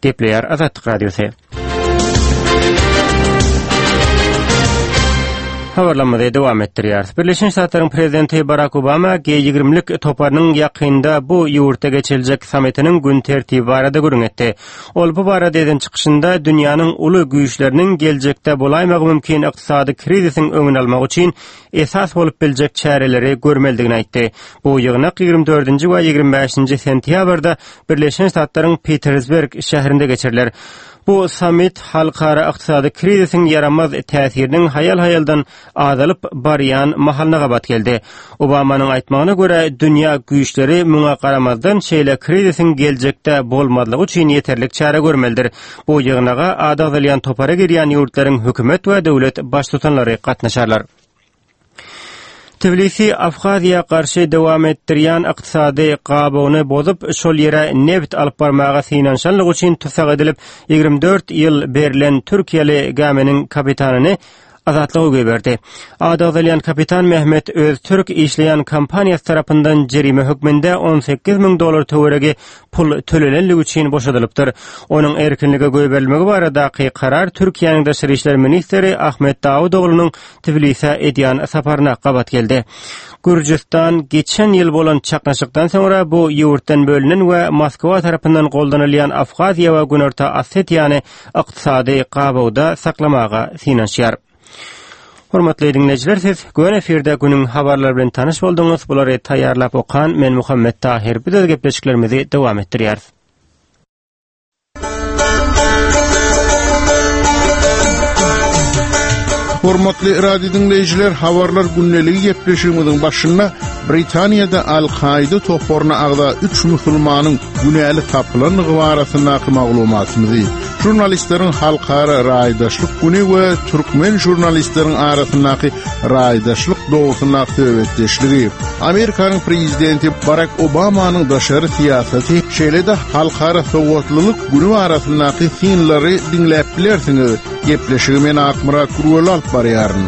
Gepleýär Azatlyk Radiosy. Habarlarymyzy dowam etdirýäris. Birleşen Ştatlaryň prezidenti Barak Obama G20-lik toparynyň ýakynda bu ýurtda geçiriljek sammitiniň gün tertibi barada gürrüň etdi. Ol bu barada eden çykyşynda dünýäniň uly güýçleriniň geljekde bolaýmagy mümkin ykdysady krizisiň öňüni almak üçin esas bolup biljek çäreleri görmelidigini aýtdy. Bu ýygnak 24-nji we 25-nji sentýabrda Birleşen Ştatlaryň Pitersberg şäherinde geçiriler. Bu sammit halkara ykdysady krizisiň ýaramaz täsiriniň haýal-haýaldan azalyp barýan mahalyna gabat geldi. Obamanyň aýtmagyna görä, dünýä güýçleri muňa garamazdan şeýle krizisiň geljekde bolmazlygy üçin ýeterlik çäre görmelidir. Bu ýygnaga ady agzalýan topara girýän ýurtlaryň hökümet we döwlet baştutanlary gatnaşarlar. Tbilisi Abhaziýa garşy dowam etdirýän ykdysady gabawyny bozup, şol ýere nebit alyp barmaga synanyşanlygy üçin tussag edilip, 24 ýyl berlen türkiýeli gäminiň kapitanyny azatlyga goýberdi. Ady agzalýan kapitan Mehmet Öztürk işleýän kompaniýasy tarapyndan jerime hökmünde 18 müň dollar töweregi pul tölenenligi üçin boşadylypdyr. Onuň erkinlige goýberilmegi baradaky karar Türkiýäniň daşary işler ministri Ahmet Dawutoglunyň Tbilisä edýän saparyna gabat geldi. Gürjüstan geçen ýyl bolan çaknyşykdan soňra bu ýurtdan bölünen we Moskwa tarapyndan goldanylýan Abhaziýa we Günorta Osetiýany ykdysady gabawda saklamaga synanyşýar. Hormatly diňleýjiler, siz göni efirde günüň habarlary bilen tanyş bolduňyz. Bulary taýýarlap okan men Muhammet Tahyr. Biz öz gepleşiklerimizi dowam etdirýäris. Hormatly radio diňleýjiler, habarlar gündeligi gepleşigimiziň başynda. Britaniýada Al-Kaýda toparyna agza üç musulmanyň günäli tapylandygy barasyndaky maglumatymyzy, žurnalistleriň halkara raýdaşlyk güni we türkmen žurnalistleriň arasyndaky raýdaşlyk dogrusyndaky söhbetdeşligi, Amerikanyň prezidenti Barak Obamanyň daşary syýasaty, şeýle-de halkara sowatlylyk güni barasyndaky synlary diňläp bilersiňiz. Gepleşigi men Akmyrat Gürweli alyp barýaryn.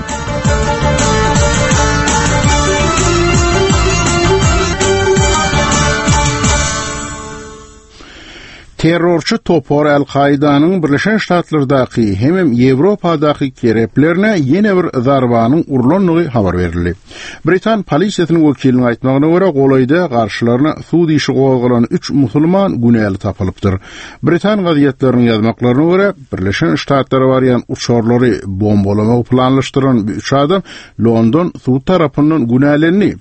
Terrorçy topar Al-Kaidanyň Birleşen Ştatlardaky hemem Ýewropadaky kereplerine ýene bir zarbanyň urlandygy habar berildi. Britan polisiýasynyň wekiliniň aýtmagyna görä, golaýda garşylaryna sud işi gozgalan üç musulman günäli tapylypdyr. Britan gazetleriniň ýazmaklaryna görä, Birleşen Ştatlara barýan uçarlary bombalamagy planlaşdyran bu üç adam London sud tarapyndan günälendi.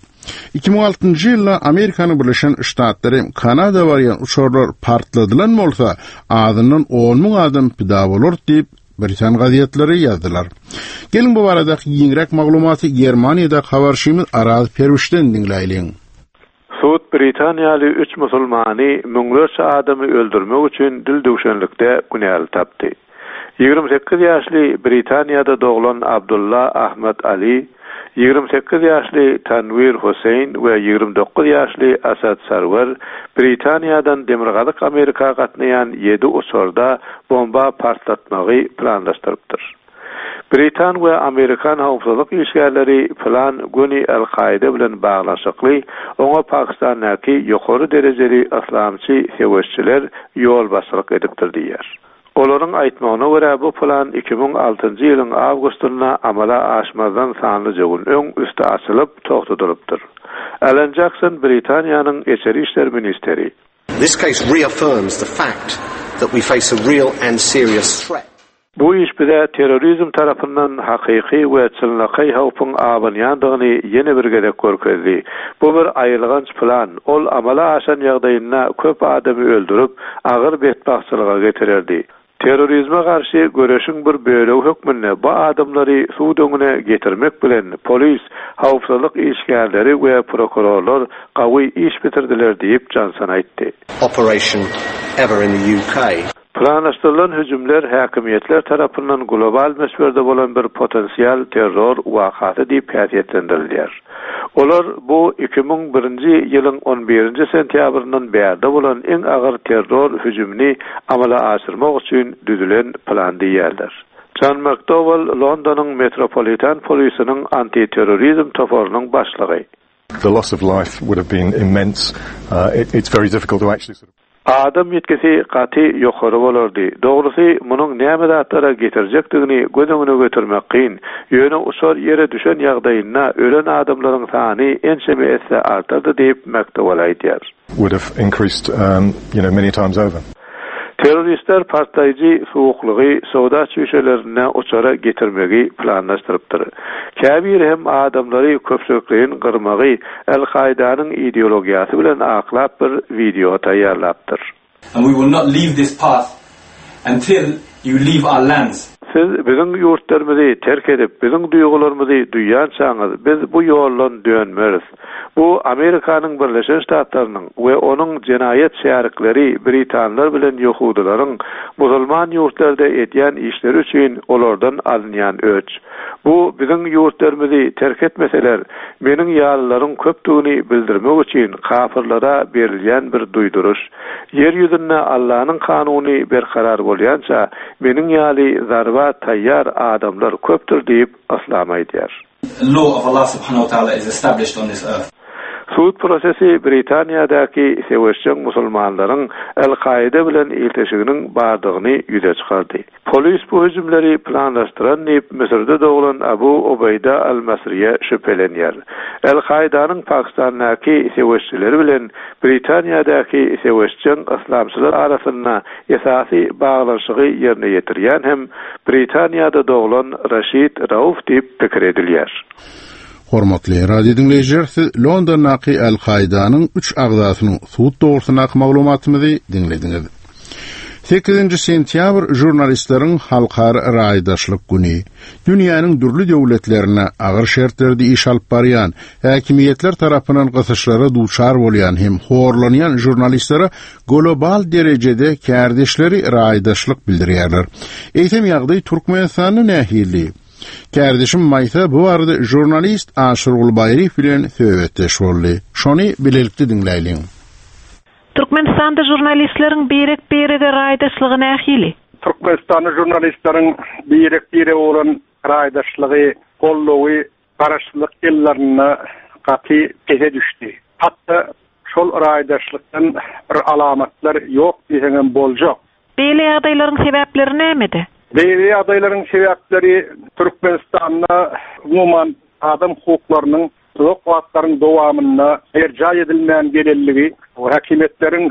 2006-njy ýylda Amerikanyň Birleşen Ştatlary Kanada barýan uçarlar partladylan bolsa, azyndan 10 müň adam pida bolardy diýip, britan gazetleri ýazdylar. Geliň bu baradaky giňräk maglumaty Germaniýadaky habarçymyz Araz Perwişden diňläýliň. Sud britaniýaly üç musulmany müňlerçe adamy öldürmek üçin dildüwşenlikde günäli tapdy. 28 ýaşly Britaniýada doglan Abdulla Ahmad Ali, 28 ýaşly Tanwir Husseýn we 29 ýaşly Asad Sarwer Britaniýadan Demirgazyk Amerika gatnaýan ýedi uçarda bomba partlatmagy planlaşdyrypdyr. Britan we amerikan howpsuzlyk işgärleri plan göni Al-Kaýda bilen baglanyşykly, oňa Pakistandaky ýokary derejeli yslamçy söweşçiler ýolbaşçylyk edipdir diýýär. Olaryň aýtmagyna görä, bu plan 2006-njy ýylyň awgustynda amala aşmazdan sanlyja gün öň üsti açylyp, togtadylypdyr. Alan Jakson Britaniýanyň içeri işler ministri. This case reaffirms the fact that we face a real and serious threat. Bu iş bize terrorizm tarapyndan hakyky we çynlakaý howpuň abanýandygyny ýene bir gezek görkezdi. Bu bir aýylganç plan, ol amala aşan ýagdaýynda köp adamy öldürip, agyr betbagtçylyga getirerdi. Terrorizme garşy göreşiň bir bölegi hökmünde bu adamlary sud öňüne getirmek bilen polis, howpsuzlyk işgärleri we prokurorlar gawy iş bitirdiler diýip, Jonson aýtdy. operation ever in the UK. Planlaşdyrylan hüjümler häkimiýetler tarapyndan global möçberde bolan bir potensial terror wakasy diýip häsiýetlendirilýär. Olar bu 2001-nji ýylyň on birinji sentýabryndan bärde bolan iň agyr terror hüjümini amala aşyrmak üçin düzülen plan diýýärler. Jon McDowell Londonyň Metropolitan polisiniň antiterrorizm toparynyň başlygy. The loss of life would have been immense. Uh, it, it's very difficult to actually sort of Adam ýitgisi gaty ýokary bolardy. Dogrusy, munuň näme zatlara getirjekdigini göz öňüne getirmek kyn. Ýöne uçar ýere düşen ýagdaýynda ölen adamlaryň sany ençeme esse artardy diýip, McDowell aýdýar. Would have increased, um, you know, many times over. Terroristler partlaýjy suwuklygy soda çüýşelerinde uçara getirmegi planlaşdyrypdyr. Käbiri hem adamlary köpçülikleýin gyrmagy Al-Kaýdanyň ideologiýasy bilen aklap bir wideo taýýarlapdyr. And we will not leave this path until you leave our lands. Siz biziň ýurtlarymyzy terk edip, biziň duýgularymyzy duýýançaňyz, biz bu ýoldan dönmeris. Bu Amerikanyň Birleşen Ştatlarynyň we onuň jenaýat şärikleri britanlar bilen ýehudylaryň musulman ýurtlarda edýän işleri üçin olardan alynýan öç. Bu biziň ýurtlarymyzy terk etmeseler, meniň ýalylaryň köpdügini bildirmek üçin kapyrlara berilýän bir duýduryş. Ýer ýüzünde Allanyň kanuny berkarar bolýança, meniň ýaly zarba taýýar adamlar köpdür diýip, Yslam aýdýar. Law of Allah subhanahu wa ta'ala is established on this earth. Sud prosesi Britaniýadaky söweşjeň musulmanlaryň Al-Kaýda bilen ilteşiginiň bardygyny ýüze çykardy. Polis bu hüjümleri planlaşdyran diýip, Müsürde doglan Abu Ubeýda al-Masriýe şübhelenýär. Al-Kaýdanyň Pakistandaky söweşçileri bilen Britaniýadaky söweşjeň yslamçylar arasynda esasy baglanyşygy ýerine ýetirýän hem Britaniýada doglan Raşid Rauf diýip pikir edilýär. Hormatly radio diňleýjiler, siz Londondaky Al-Kaýdanyň üç agzasynyň sud dogrusyndaky maglumatymyzy diňlediňiz. Sekizinji sentýabr žurnalistleriň halkara raýdaşlyk güni. Dünýäniň dürli döwletlerinde agyr şertlerde iş alyp barýan, häkimiýetler tarapyndan gysyşlara duçar bolýan hem horlanýan žurnalistlere global derejede kärdeşleri raýdaşlyk bildirýärler. Eýsem ýagdaý Türkmenistanda nähili? Kärdeşim Maýsa bu barada žurnalist Aşyrguly Baýryýew bilen söhbetdeş boldy. Şony bilelikde diňläýliň. Türkmenistanda žurnalistleriň birek-birege raýdaşlygy nähili? Türkmenistanda žurnalistleriň birek-birege bolan raýdaşlygy, goldawy garaşsyzlyk ýyllarynda gaty pese düşdi. Hatda şol raýdaşlykdan bir alamatlar ýok diýseňem boljak. Beýle ýagdaýlaryň sebäpleri nämede? Beýle ýagdaýlaryň sebäpleri Türkmenistanda umuman adam hukuklarynyň uzak wagtlaryň dowamynda berjaý edilmän gelenligi, häkimiýetleriň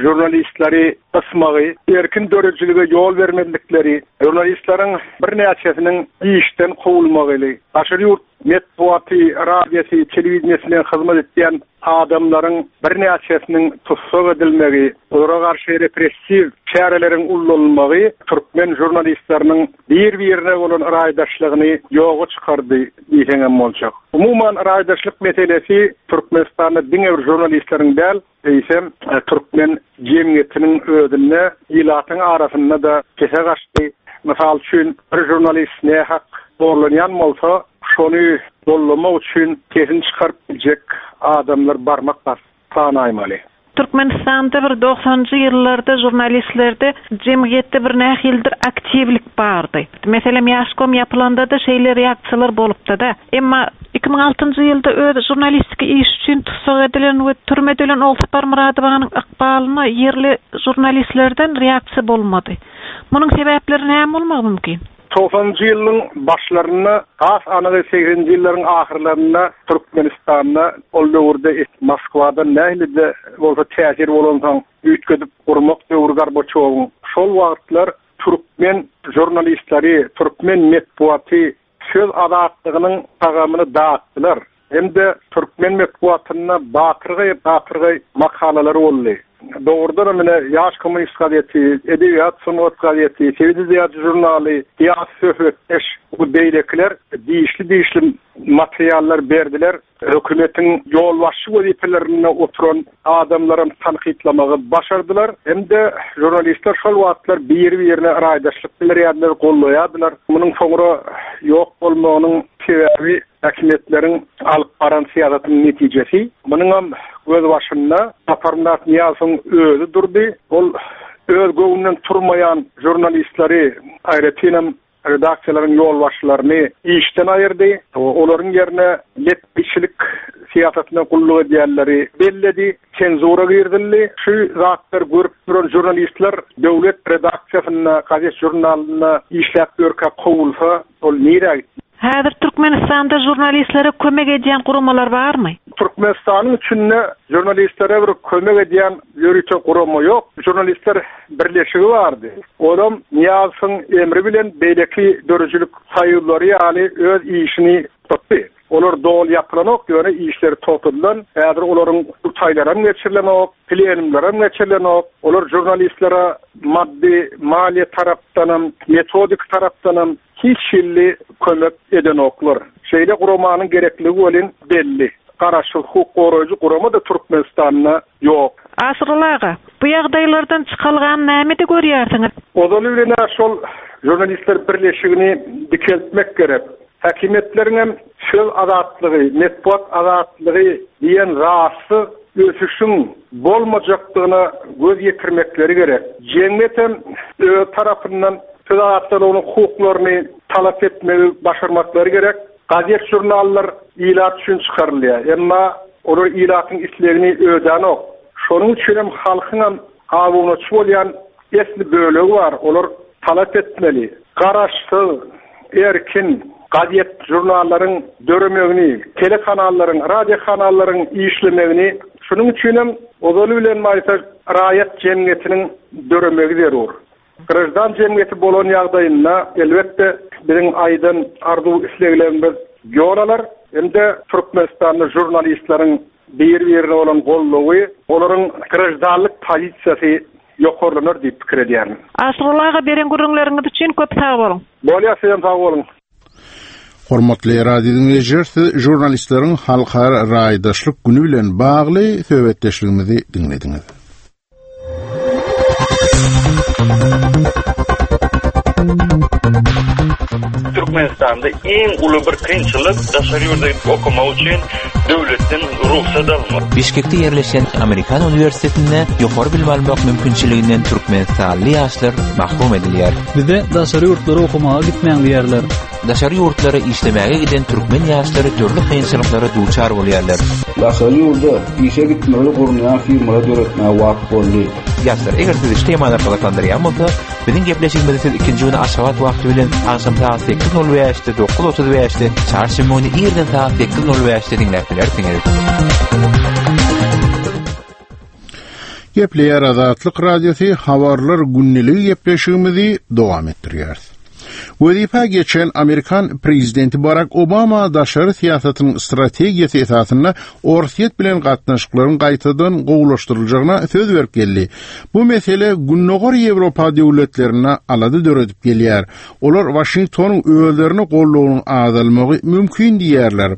žurnalistleri gysmagy, erkin döredijilige ýol bermezlikleri, žurnalistleriň birnäçesiniň işden kowulmagyly, daşary ýurt metbugaty, radiosy, telewideniýesine hyzmat etýän adamlaryň birnäçesiniň tussag edilmegi, olara garşy repressiw çäreleriň ullanylmagy türkmen žurnalistleriniň bir-birine bolan raýdaşlygyny ýoga çykardy diýseňem boljak. Umuman, raýdaşlyk meselesi Türkmenistanda diňe bir žurnalistleriň däl, eýsem, türkmen jemgyýetiniň özünde, ilatyň arasynda-da pese gaçdy. Mysal üçin, bir žurnalist nähak zorlanýan bolsa, şony gollamak üçin sesini çykaryp biljek adamlar barmak basyp sanaýmaly. Türkmenistanda bir dogsanynjy ýyllarda žurnalistlerde jemgyýetde bir nähilidir aktiwlik bardy. Meselem Ýaşkom ýapylanda-da şeýle reaksiýalar bolupdy-da. Emma 2006-njy ýylda öz žurnalistiki işi üçin tussag edilen we türmede ölen Ogulsapar Myradowanyň ykbalyna ýerli žurnalistlerden reaksiýa bolmady. Munuň sebäpleri näme bolmagy mümkin? Togsanynjy ýylyň başlarynda, has anygy segseninji ýyllaryň ahyrlarynda Türkmenistanda ol döwürde Moskwadan nähili-de bolsa täsir bolansoň üýtgedip gurmak döwri Gorbaçýowyň şol wagtlar türkmen žurnalistleri, türkmen metbugaty söz azatlygynyň tagamyny datdylar. Hem-de türkmen metbugatynda batyrgaý-batyrgaý makalalar boldy. Dogrudanam ine, Ýaş kommunist gazeti, Edebiýat, sungat gazeti, Sebit edebiýaty žurnaly, Syýasy söhbetdeş we beýlekiler dişli-dişli materiallar berdiler. Hökümetiň ýolbaşçy wezipelerinde oturan adamlaram tankytlamagy başardylar. Hem-de žurnalistler şol wagtlar biri-birine raýdaşlyk bildirýärdiler, goldaýardylar. Munuň soňra ýok bolmagynyň sebäbi Häkimiýetleriň alyp baran syýasatynyň netijesi. Munuňam gözbaşynda Saparmyrat Nyýazowyň özi durdy. Ol öz göwnünden turmaýan žurnalistleri, aýratynam redaksiýalaryň ýolbaşçylaryny işden aýyrdy. Olaryň ýerine lepbiçilik syýasatyna gulluk edýänleri belledi. Senzura girizildi. Şu zatlary görüp duran žurnalistler döwlet redaksiýasynda, gazet-žurnalynda işläp ýörkä kowulsa, ol nirä gitdi? Häzir Türkmenistanda žurnalistlere kömek edýän guramalar barmy? Türkmenistanyň içinde žurnalistlere bir kömek edýän ýörite gurama ýok. Žurnalistler birleşigi bardy. Olam Nyýazowyň emri bilen beýleki döredijilik soýuzlary ýaly öz işini tutdy. Olar doly ýapylanok, ýöne işleri togtadylan. Häzir olaryň gurtaýlaram geçirilenok, plenumlaram geçirilenok. Olar žurnalistlere maddy, maliýe tarapdanam, metodik tarapdanam Hiç hilli kömek edenoklar. Şeýle guramanyň gerekligi welin belli. Garaşsyz hukuk goraýjy gurama-da Türkmenistanda ýok. Aşyrguly aga, bu ýagdaýlardan çykalgany nämede görýärsiňiz? Ozaly bilen-ä şol Žurnalistler birleşigini dikeltmek gerek. Häkimiýetleriňem söz azatlygy, metbugat azatlygy diýen zatsyz ösüşiň bolmajakdygyna göz ýetirmekleri gerek. Jemgyýetem öz tarapyndan Söz azatlygynyň hukuklaryny talap etmegi başarmaklary gerek. Gazet-žurnallar ilat üçin çykarylýar. Emma olar ilatyň islegini ödänok. Şonuň üçinem halkyňam abunaçy bolýan esli bölegi bar, olar talap etmeli. Garaşsyz, erkin gazet-žurnallaryň döremegini, telekanallaryň, radiokanallaryň işlemegini, şunuň üçinem ozaly bilen maýsa raýat jemgyýetiniň döremegi zerur. Graždan jemgyýeti bolan ýagdaýynda, elbetde, biziň aýdan arzuw-isleglerimiz ýol alar hem-de Türkmenistanda žurnalistleriň bir-birine bolan goldawy, olaryň graždanlyk pozisiýasy. ýokarlanar diýip pikir edýärin. Aşyrguly aga beren gürrüňleriňiz üçin köp sag boluň. Bolýar sizem sag boluň. Hormatly radio diňleýjiler, siz žurnalistleriň halkara raýdaşlyk güni bilen bagly söhbetdeşligimizi diňlediňiz. Türkmenistanda iň uly bir kynçylyk daşary ýurda gidip okamak üçin döwletden rugsat almak. Bişkekde ýerleşýän Amerikan uniwersitetinde ýokary bilim almak mümkinçiliginden türkmenistanly ýaşlar mahrum edilýär. Bize daşary ýurtlara okamaga gitmäň diýýärler. Daşary ýurtlara işlemäge giden türkmen ýaşlary dürli kynçylyklara duçar bolýarlar. Daşary ýurda işe gitmegi gurnaýan firmalar döretmäge wagt boldy. Ýaşlar, eger sizi şu temalar gyzyklandyrýan bolsa, biziň gepleşigimizi siz ikinji güni Aşgabat wagty bilen agşam sagat 8:05-de, 9:35-de, çarşenbe güni irden sagat 8:05-de diňläp bilersiňiz. Gepleýär Azatlyk Radiosy Habarlar gündeligi gepleşigimizi dowam etdirýäris. Wezipä geçen amerikan prezidenti Barak Obama daşary syýasatynyň strategiýasy esasynda Orsýet bilen gatnaşyklaryň gaýtadan gowulaşdyryljagyna söz berip geldi. Bu mesele Gündogar Ýewropa döwletlerinde alada döredip gelýär. Olar Waşingtonyň özlerine goldawynyň azalmagy mümkin diýýärler.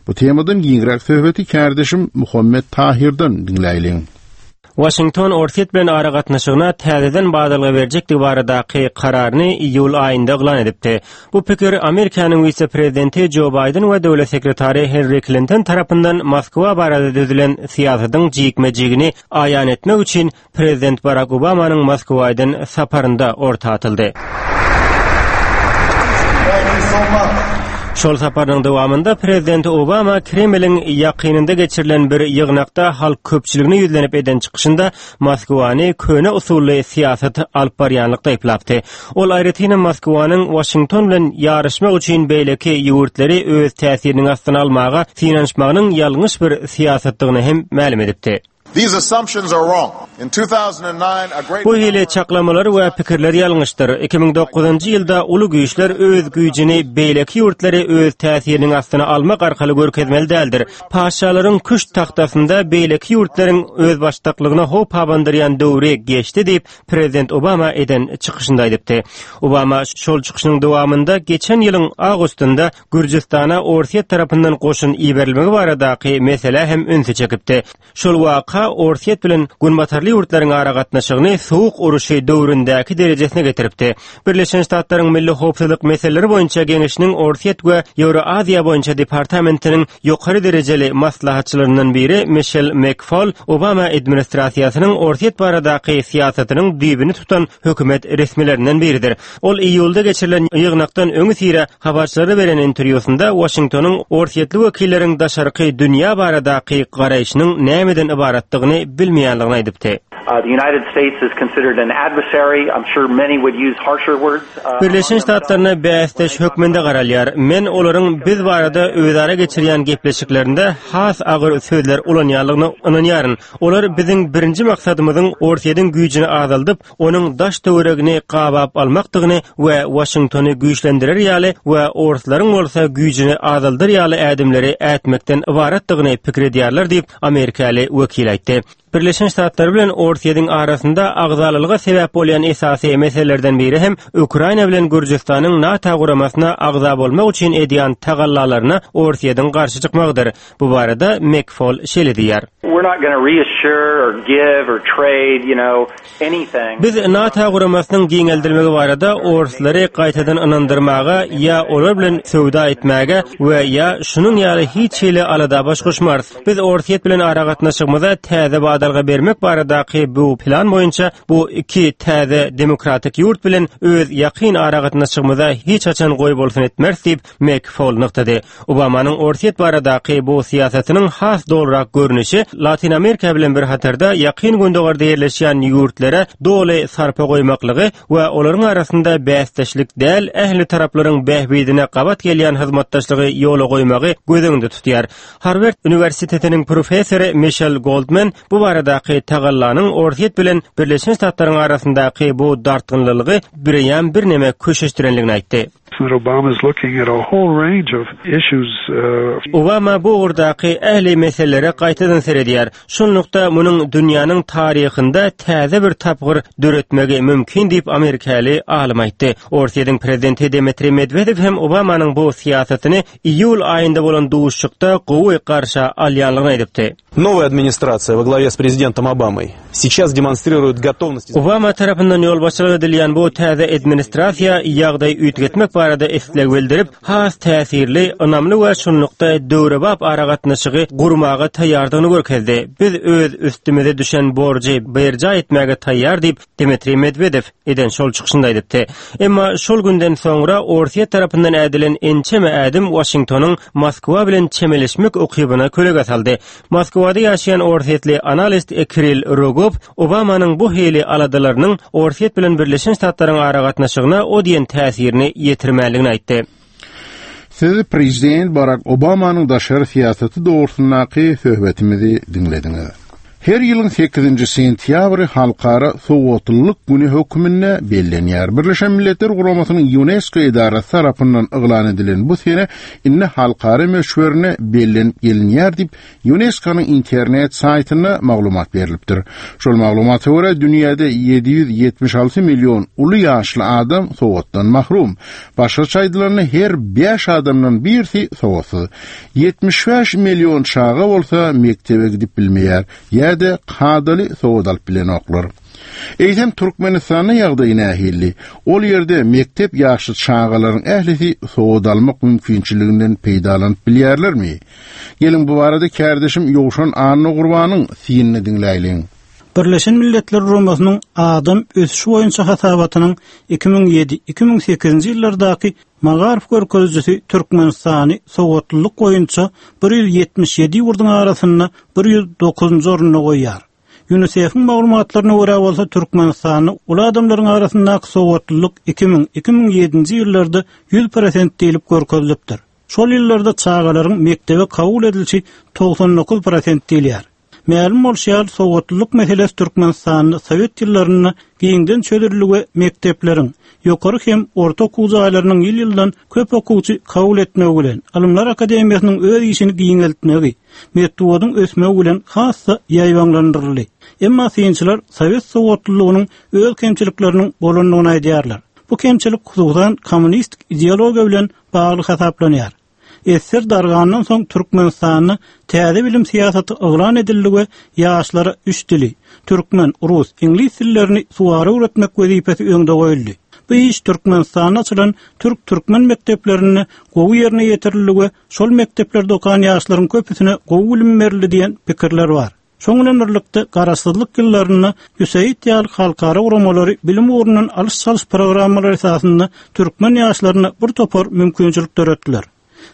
Bu temadan giňräk söhbeti kärdeşim Muhammet Tahirden diňläýliň. Waşington Orsýet bilen aragatnaşygyna täzeden badalga berjekdigi baradaky kararyny iýul aýynda yglan edipdi. Bu pikir Amerikanyň wise-prezidenti Jo Baýden we döwlet sekretary Hillari Klinton tarapyndan Moskwa barada düzülen syýasatyň jikme-jigini aýan etmek üçin Prezident Barak Obamanyň Moskwa eden saparynda orta atyldy. Şol saparynyň dowamynda Prezident Obama Kremliň ýakynynda geçirilen bir ýygnakda halk köpçüligine ýüzlenip eden çykyşynda Moskwany köne usully syýasat alyp barýanlykda aýyplapdy. Ol aýratynam Moskwanyň Waşington bilen ýaryşmak üçin beýleki ýurtlary öz täsiriniň astyna almaga synanyşmagynyň ýalňyş bir syýasatdygyny hem mälim edipdi. These assumptions are wrong. In 2009, a great Bu hili çaklamalar we pikirler ýalňyşdyr. 2009-njy ýylda uly güýçler öz güýjüni beýleki ýurtlary öz täsiriniň astyna almak arkaly görkezmeli däldir. Patyşalaryň küşt tagtasynda beýleki ýurtlaryň özbaşdaklygyna howp abandyrýan döwri geçdi diýip, prezident Obama eden çykyşynda aýdypdy. Obama şol çykyşynyň dowamynda geçen ýylyň awgustynda Gürjüstana Orsýet tarapyndan goşun iberilmegi baradaky meselä hem ünsi çekipdi. Şol waka Orsýet bilen günbatarly ýurtlaryň aragatnaşygyny Sowuk uruşy döwründäki derejesine getiripdi. Birleşen Ştatlaryň Milli howpsuzlyk meseleleri boýunça geňeşiniň Orsýet we Ýewroaziýa boýunça departamentiniň ýokary derejeli maslahatçylaryndan biri Mişel MekFol Obama administrasiýasynyň Orsýet baradaky syýasatynyň düýbüni tutan hökümet resmilerinden biridir. Ol iýulda geçirilen ýygnakdan öňüsyra habarçylara beren interwýusynda Waşingtonyň orsýetli wekilleriň daşarky dünýä baradaky garaýşynyň nämeden ybaratdygyny bilmeýänligini aýdypdy. Birleşen Ştatlaryna bäsdeş hökmünde garalýar. Men olaryň biz barada özara geçirýän gepleşiklerinde has agyr sözler ulanýanlygyna ynanýaryn. Olar biziň birinji maksadymyzyň Orsýetiň güýjüni azaldyp, onuň daş-töweregini gabap almakdygyny we Waşingtony güýçlendirer ýaly we orslaryň bolsa güýjüni azaldar ýaly ädimleri ätmekden ybaratdygyny pikir edýärler diýip, amerikaly wekil aýtdy. Birleşen Ştatlar bilen Orsýetiň arasynda agzalalyga sebäp bolýan esasy meselelerden biri hem Ukraina bilen Gürjüstanyň NATO guramasyna agza bolmak üçin edýän tagallalaryna Orsýetiň garşy çykmagydyr. Bu barada MekFol şeýle diýýär. Biz NATO guramasynyň giňeldilmegi barada orslary gaýtadan ynandyrmaga ýa olar bilen söwda etmäge we ýa şunuň ýaly hiç hili alada baş goşmarys. Biz Orsýet bilen aragatnaşygymyza täze badalga bermek baradaky bu plan boýunça bu iki täze demokratik ýurt bilen öz ýakyn aragatnaşygymyza hiç haçan goýbolsun etmeris diýip, MekFol nygtady. Obamanyň Orsýet baradaky bu syýasatynyň has dolurak görnüşi Latyn Amerika bilen bir hatarda Ýakyn Gündogarda ýerleşýän ýurtlara doly sarpa goýmaklygy we olaryň arasynda bäsdeşlik däl, ähli taraplaryň bähbidine gabat gelýän hyzmatdaşlygy ýola goýmagy göz öňünde tutýar. Harward uniwersitetiniň professory Mişel Goldman bu baradaky tagallanyň Orsýet bilen Birleşen Ştatlaryň arasyndaky bu dartgynlylygy bireýýäm birneme köşeşdirenligini aýtdy. Obama bu ugurdaky ähli meselelere gaýtadan seredýär. belleýär. Şunlukda, munuň dünýäniň taryhynda täze bir tapgyr döretmegi mümkin diýip, amerikaly alym aýtdy. Orsýetiň prezidenti Dmitriý Medwedew hem Obamanyň bu syýasatyny iýul aýynda bolan duşuşykda gowy garşa alýanlygyny aýdypdy. Nowaýa administrasiýa we glawýa s prezidentom Obamой seýças demonstriruýet gotovnost. Obama tarapyndan ýolbaşçylyk edilýän bu täze administrasiýa ýagdaýy üýtgetmek barada isleg bildirip, has täsirli, ynamly we şunlukda döwrebap aragatnaşygy gurmaga taýýardygyny görkezdi. Biz öz üstümize düşen borjy berjaý etmäge taýýar diýip, Dmitriý Medwedew eden şol çykyşynda aýdypdy. Emma şol günden soňra Orsýet tarapyndan ädilen ençeme ädim Waşingtonyň Moskwa bilen çemeleşmek ukybyna kölege saldy. Moskwada ýaşaýan orsýetli analist Kirill Rogow Obamanyň bu hili aladalarynyň Orsýet bilen Birleşen Ştatlaryň aragatnaşygyna o diýen täsirini ýetirmänligini aýtdy. Siz prezident Barak Obamanyň daşary syýasaty dogrusyndaky söhbetimizi diňlediňiz. Her ýylyň sekizinji sentýabry Halkara sowatlylyk güni hökmünde bellenýär. Birleşen Milletler Guramasynyň Ýunesko edarasy tarapyndan yglan edilen bu sene indi halkara möçberinde bellenip gelinýär diýip, Ýunesko-nyň internet saýtynda maglumat berlipdir. Şol maglumata görä, dünýäde 776 million uly ýaşly adam sowatdan mahrum. Başgaça aýdylanda, her bäş adamdan birisi sowatsyz. 75 million çaga bolsa mekdebe gidip bilmeýär ýa-da kadaly sowat alyp bilenoklar. Eýsem, Türkmenistanda ýagdaý nähili? Ol ýerde mekdep ýaşly çagalaryň ählisi sowat almak mümkinçiliginden peýdalanyp bilýärlermi? Geliň, bu barada kärdeşim Ýowşan Annagurbanyň synyny diňläýliň. Birleşen Milletler Guramasynyň Adam ösüşi boýunça hasabatynyň 2007, 2008-nji ýyllardaky magaryf görkezijisi Türkmenistany sowatlylyk boýunça 177 ýurduň arasynda 109-njy orunda goýýar. Ýunisef-iň maglumatlaryna görä bolsa, Türkmenistanda uly adamlaryň arasyndaky sowatlylyk 2000, 2007-nji ýyllarda 100 prosent diýlip görkezilipdir. Şol ýyllarda çagalaryň mekdebe kabul edilişi 99 prosent diýilýär. Mälim bolşy ýaly, sowatlylyk meselesi Türkmenistanda sowet ýyllarynda giňden çözüldi we mekdepleriň, ýokary hem orta okuw jaýlarynyň ýyl-ýyldan köp okuwçy kabul etmegi bilen, Ylymlar akademiýasynyň öz işini giňeltmegi, metbugatyň ösmegi bilen has-da ýaýbaňlandyryldy. Emma synçylar sowet sowatlylygynyň öz kemçilikleriniň bolandygyny aýdýarlar. Bu kemçilik hususan kommunistik ideologiýa bilen bagly hasaplanýar. Ssr dargandan soň Türkmenistanda täze bilim syýasaty yglan edildi we ýaşlara üç dili, türkmen, rus, iňlis dillerini suwara öwretmek wezipesi öňde goýuldy. Bu iş Türkmenistanda açylan türk-türkmen mekdeplerinde gowy ýerine ýetirildi we şol mekdeplerde okan ýaşlaryň köpüsine gowy bilim berildi diýen pikirler bar. Şoň bilen birlikde, Garaşsyzlyk ýyllarynda USAID ýaly halkara guramalary bilim ugrundan alyş-çalyş programmalary esasynda türkmen ýaşlaryna bir topar mümkinçilik döretdiler.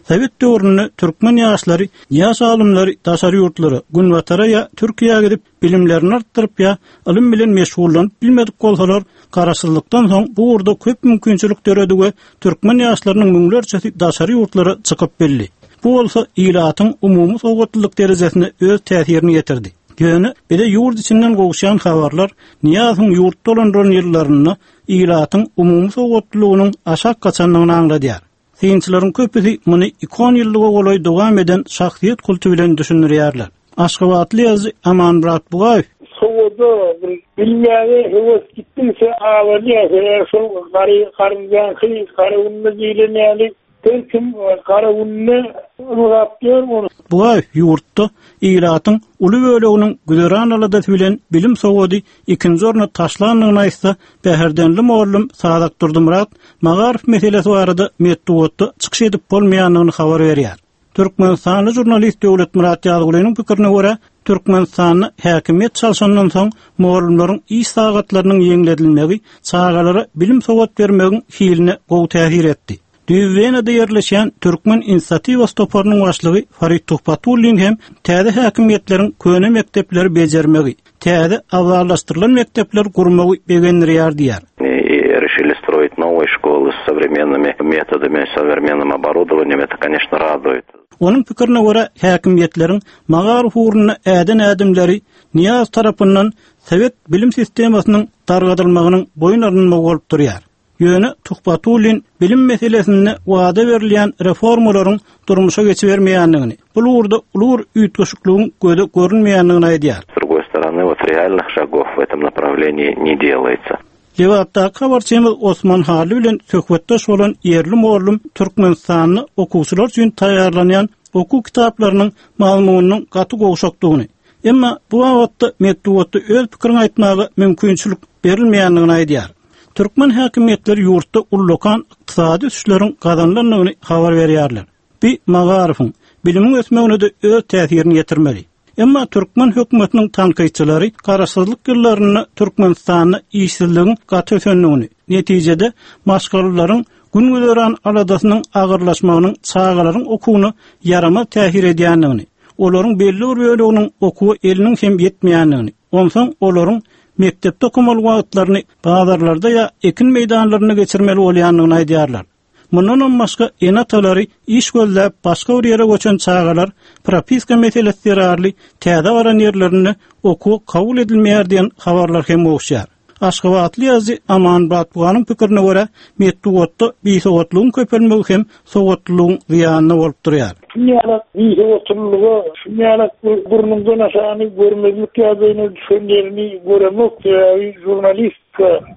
Sowet döwründe türkmen ýaşlary, ýaş alymlary daşary ýurtlara, Günbatara ýa Türkiýä gidip, bilimlerini artdyryp ýa ylym bilen meşgullanyp bilmedik bolsalar, Garaşsyzlykdan soň bu ugurda köp mümkinçilik döredi we türkmen ýaşlarynyň müňlerçesi daşary ýurtlara çykyp bildi. Bu bolsa ilatyň umumy sowatlylyk derejesine öz täsirini ýetirdi. Ýöne bize ýurt içinden gowuşýan habarlar Nyýazowyň ýurt dolandyran ýyllarynda ilatyň umumy sowatlylygynyň aşak gaçandygyny aňladýar. Synçylaryň köpüsi muny iki onýyllyga golaý dowam eden şahsyýet kulty bilen düşündirýärler. Aşgabatly ýazyjy Amanmyrat Bugaýew. Sowada bir bilmäge höwes gitdigiçe azalýar. Sebäbi şol gary garynjaňky gara günde diýlen ýaly Her kim gara gününe ylgap ýör ony. Bugaýew ýurtda ilatyň uly böleginiň güzeran aladasy bilen bilim-sowady ikinji orna taşlandygyny aýtsa, bäherdenli mugallym Sazak Durdymyrat magaryf meselesi barada metbugatda çykyş edip bolmaýandygyny habar berýär. Türkmenistanly žurnalist Döwletmyrat Ýazgulynyň pikirine görä, Türkmenistanda häkimiýet çalşandan soň mugallymlaryň iş sagatlarynyň ýeňledilmegi çagalara bilim-sowat bermegiň hiline gowy täsir etdi. Düýbi Wenada ýerleşýän Türkmen inisiatiwasy toparynyň başlygy Farid Tuhbatullin hem täze häkimiýetleriň köne mekdepleri bejermegi, täze abzallaşdyrylan mekdepler gurmagy begendirýär diýýär. I rişili stroit nowyý şkoly s sowremennymi metodami, sowremennym oborudowaniýem, eto, koneçno, raduýet. Onuň pikirine görä, häkimiýetleriň magaryf ugrunda äden ädimleri Nyýazow tarapyndan sowet bilim sistemasynyň dargadylmagynyň boýun alynmagy bolup durýar. Ýöne Tuhbatullin bilim meselesinde wada berilýän reformalaryň durmuşa geçibermeýändigini, bu ugurda uly bir üýtgeşikligiň göze görünmeýändigini aýdýar. S drugoý storony, wot realnyh şagow w etom naprawleniýi ne delaýtsa. Lebapdaky habarçymyz Osman Hally bilen söhbetdeş bolan ýerli mugallym Türkmenistanda okuwçylar üçin taýýarlanýan okuw kitaplarynyň mazmunynyň gaty gowşakdygyny, emma bu babatda metbugatda öz pikiriňi aýtmaga mümkinçilik berilmeýändigini aýdýar. Türkmen häkimiýetleri ýurtda ullakan ykdysady ösüşleriň gazanylandygyny habar berýärler. Bi magaryfyň, bilimiň ösmegine-de öz täsirini ýetirmeli. Emma türkmen hökümetiniň tankytçylary garaşsyzlyk ýyllarynda Türkmenistanda işsizligiň gaty ösendigini, netijede maşgalalaryň gün-güzeran aladasynyň agyrlaşmagynyň çagalaryň okuwyna ýaramaz täsir edýändigini, olaryň belli bir böleginiň okuwa eliniň hem ýetmeýändigini, onsoň olaryň mekdepde okamaly wagtlaryny bazarlarda ýa ekin meýdanlarynda geçirmeli bolýandygyny aýdýarlar. Mundanam başga ene-atalary iş gözläp başga bir ýere göçen çagalar propiska meselesi zerarly täze baran ýerlerinde okuwa kabul edilmeýär diýen habarlar hem gowuşýar. Aşgabatly ýazyjy Aman Batbuganyň pikirine görä, metbugatda bisowatlygyň köpelmegi hem sowatlylygyň zyýanyna bolup durýar. Şunýalak bisowatlylyga, şunýalak bir burnuňdan aşagyny görmezlik ýagdaýyna düşen ýerini göremok, sebäbi žurnalist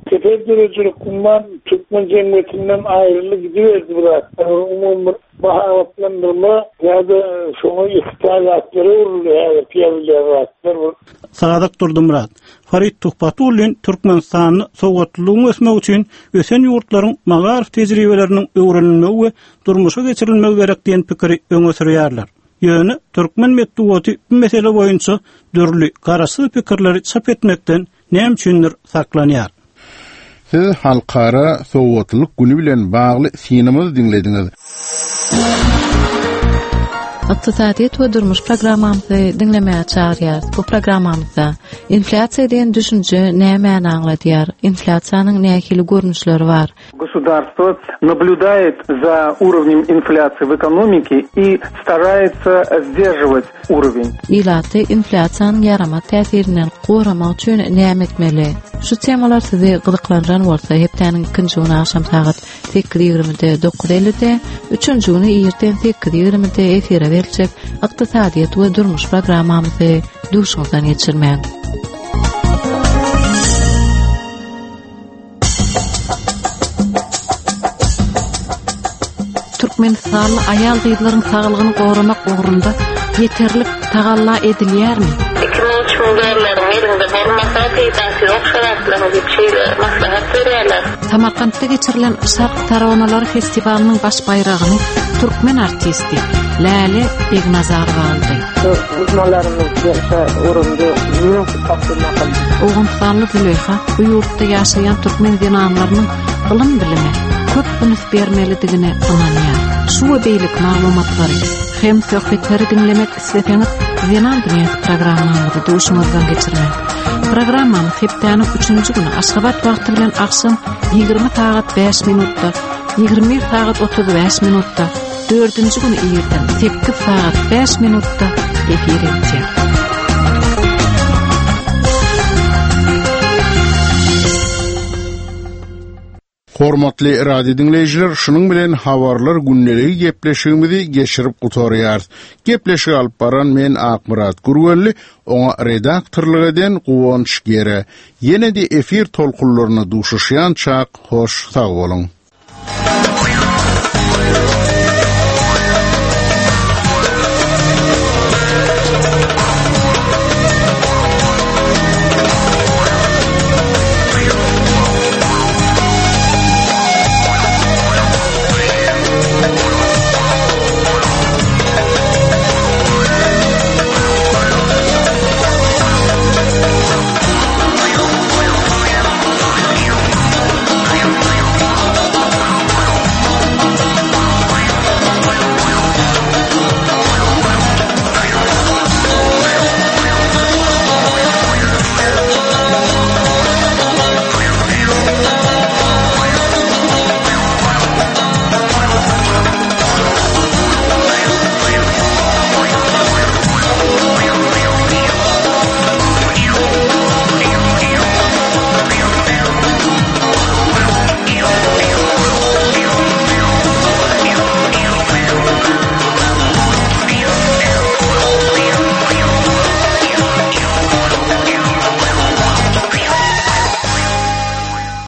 Çeper döredijilik umman türkmen jemgyýetinden aýryldy gidiberdi bu zatlar. Umumy bir mahabatlandyrma ýa-da şoňa ýykta zatlara öwrüldi häzirki ýazylýan zatlar bir. Sadyk Durdymyrat, Farid Tuhbatullin Türkmenistanda sowatlylygyň ösmegi üçin ösen ýurtlaryň magaryf tejribeleriniň öwrenilmegi we durmuşa geçirilmegi gerek diýen pikiri öňe sürýärler. Ýöne türkmen metbugaty bu mesele boýunça dürli garaşsyz pikirleri çap etmekden näme üçindir saklanýar. Siz Halkara sowatlylyk güni bilen bagly synymyzy diňlediňiz. Ykdysadyýet we durmuş programmamyzy diňlemäge çagyrýarys. Bu programmamyzda inflýasiýa diýen düşünje nämäni aňladýar? Inflýasiýanyň nähili görnüşleri bar? Государство наблюдает за уровнем инфляции в экономике и старается сдерживать уровень. Ilaty inflýasiýanyň ýaramaz täsirinden goramak üçin näme etmeli? Şu temalar sizi gyzyklandyran bolsa, hepdäniň ikinji güni agşam sagat 8:20-de 9:50-de, üçünji güni irden 8:20-de efire beriljek Ykdysadyýet we durmuş programmamyzy duşuňyzdan geçirmäň. Türkmenistanly aýal-gyzlaryň saglygyny goramak ugrunda ýeterlik tagalla edilýärmi? 2000 3000 dollaryň eliňde bolmasa peýdasy ýok şo zatlaryň diýip şeýle maslahat berýärler. Samarkantda geçirilen Şark taronalary festiwalynyň baş baýragyny türkmen artisti Läle Begnazarowa aldy. Guzmalarymyz gelse urundy Owganystanly Züleýha bu ýurtda ýaşaýan türkmen zenanlarynyň ylym-bilime köp üns bermelidigine ynanýar. Şu we beýleki maglumatlary hem söhbetleri diňlemek isleseňiz, Zenan dünýäsi programmamyzy duşuňyzdan geçirmäň. Programmamyz hepdäniň üçünji güni Aşgabat wagty bilen agşam 20 sagat 5 minutda, 21 sagat 35 minutda, Dördünji güni irden 8 sagat 5 minutda efir edýär. Hormatly radio diňleýjiler, şunuň bilen habarlar gündeligi gepleşigimizi geçirip gutarýarys. Gepleşigi alyp baran men Akmyrat Gürgenli, oňa redaktorlyk eden Guwanç Gere. Ýene-de efir tolkunlarynda duşuşýançak, hoş sag boluň.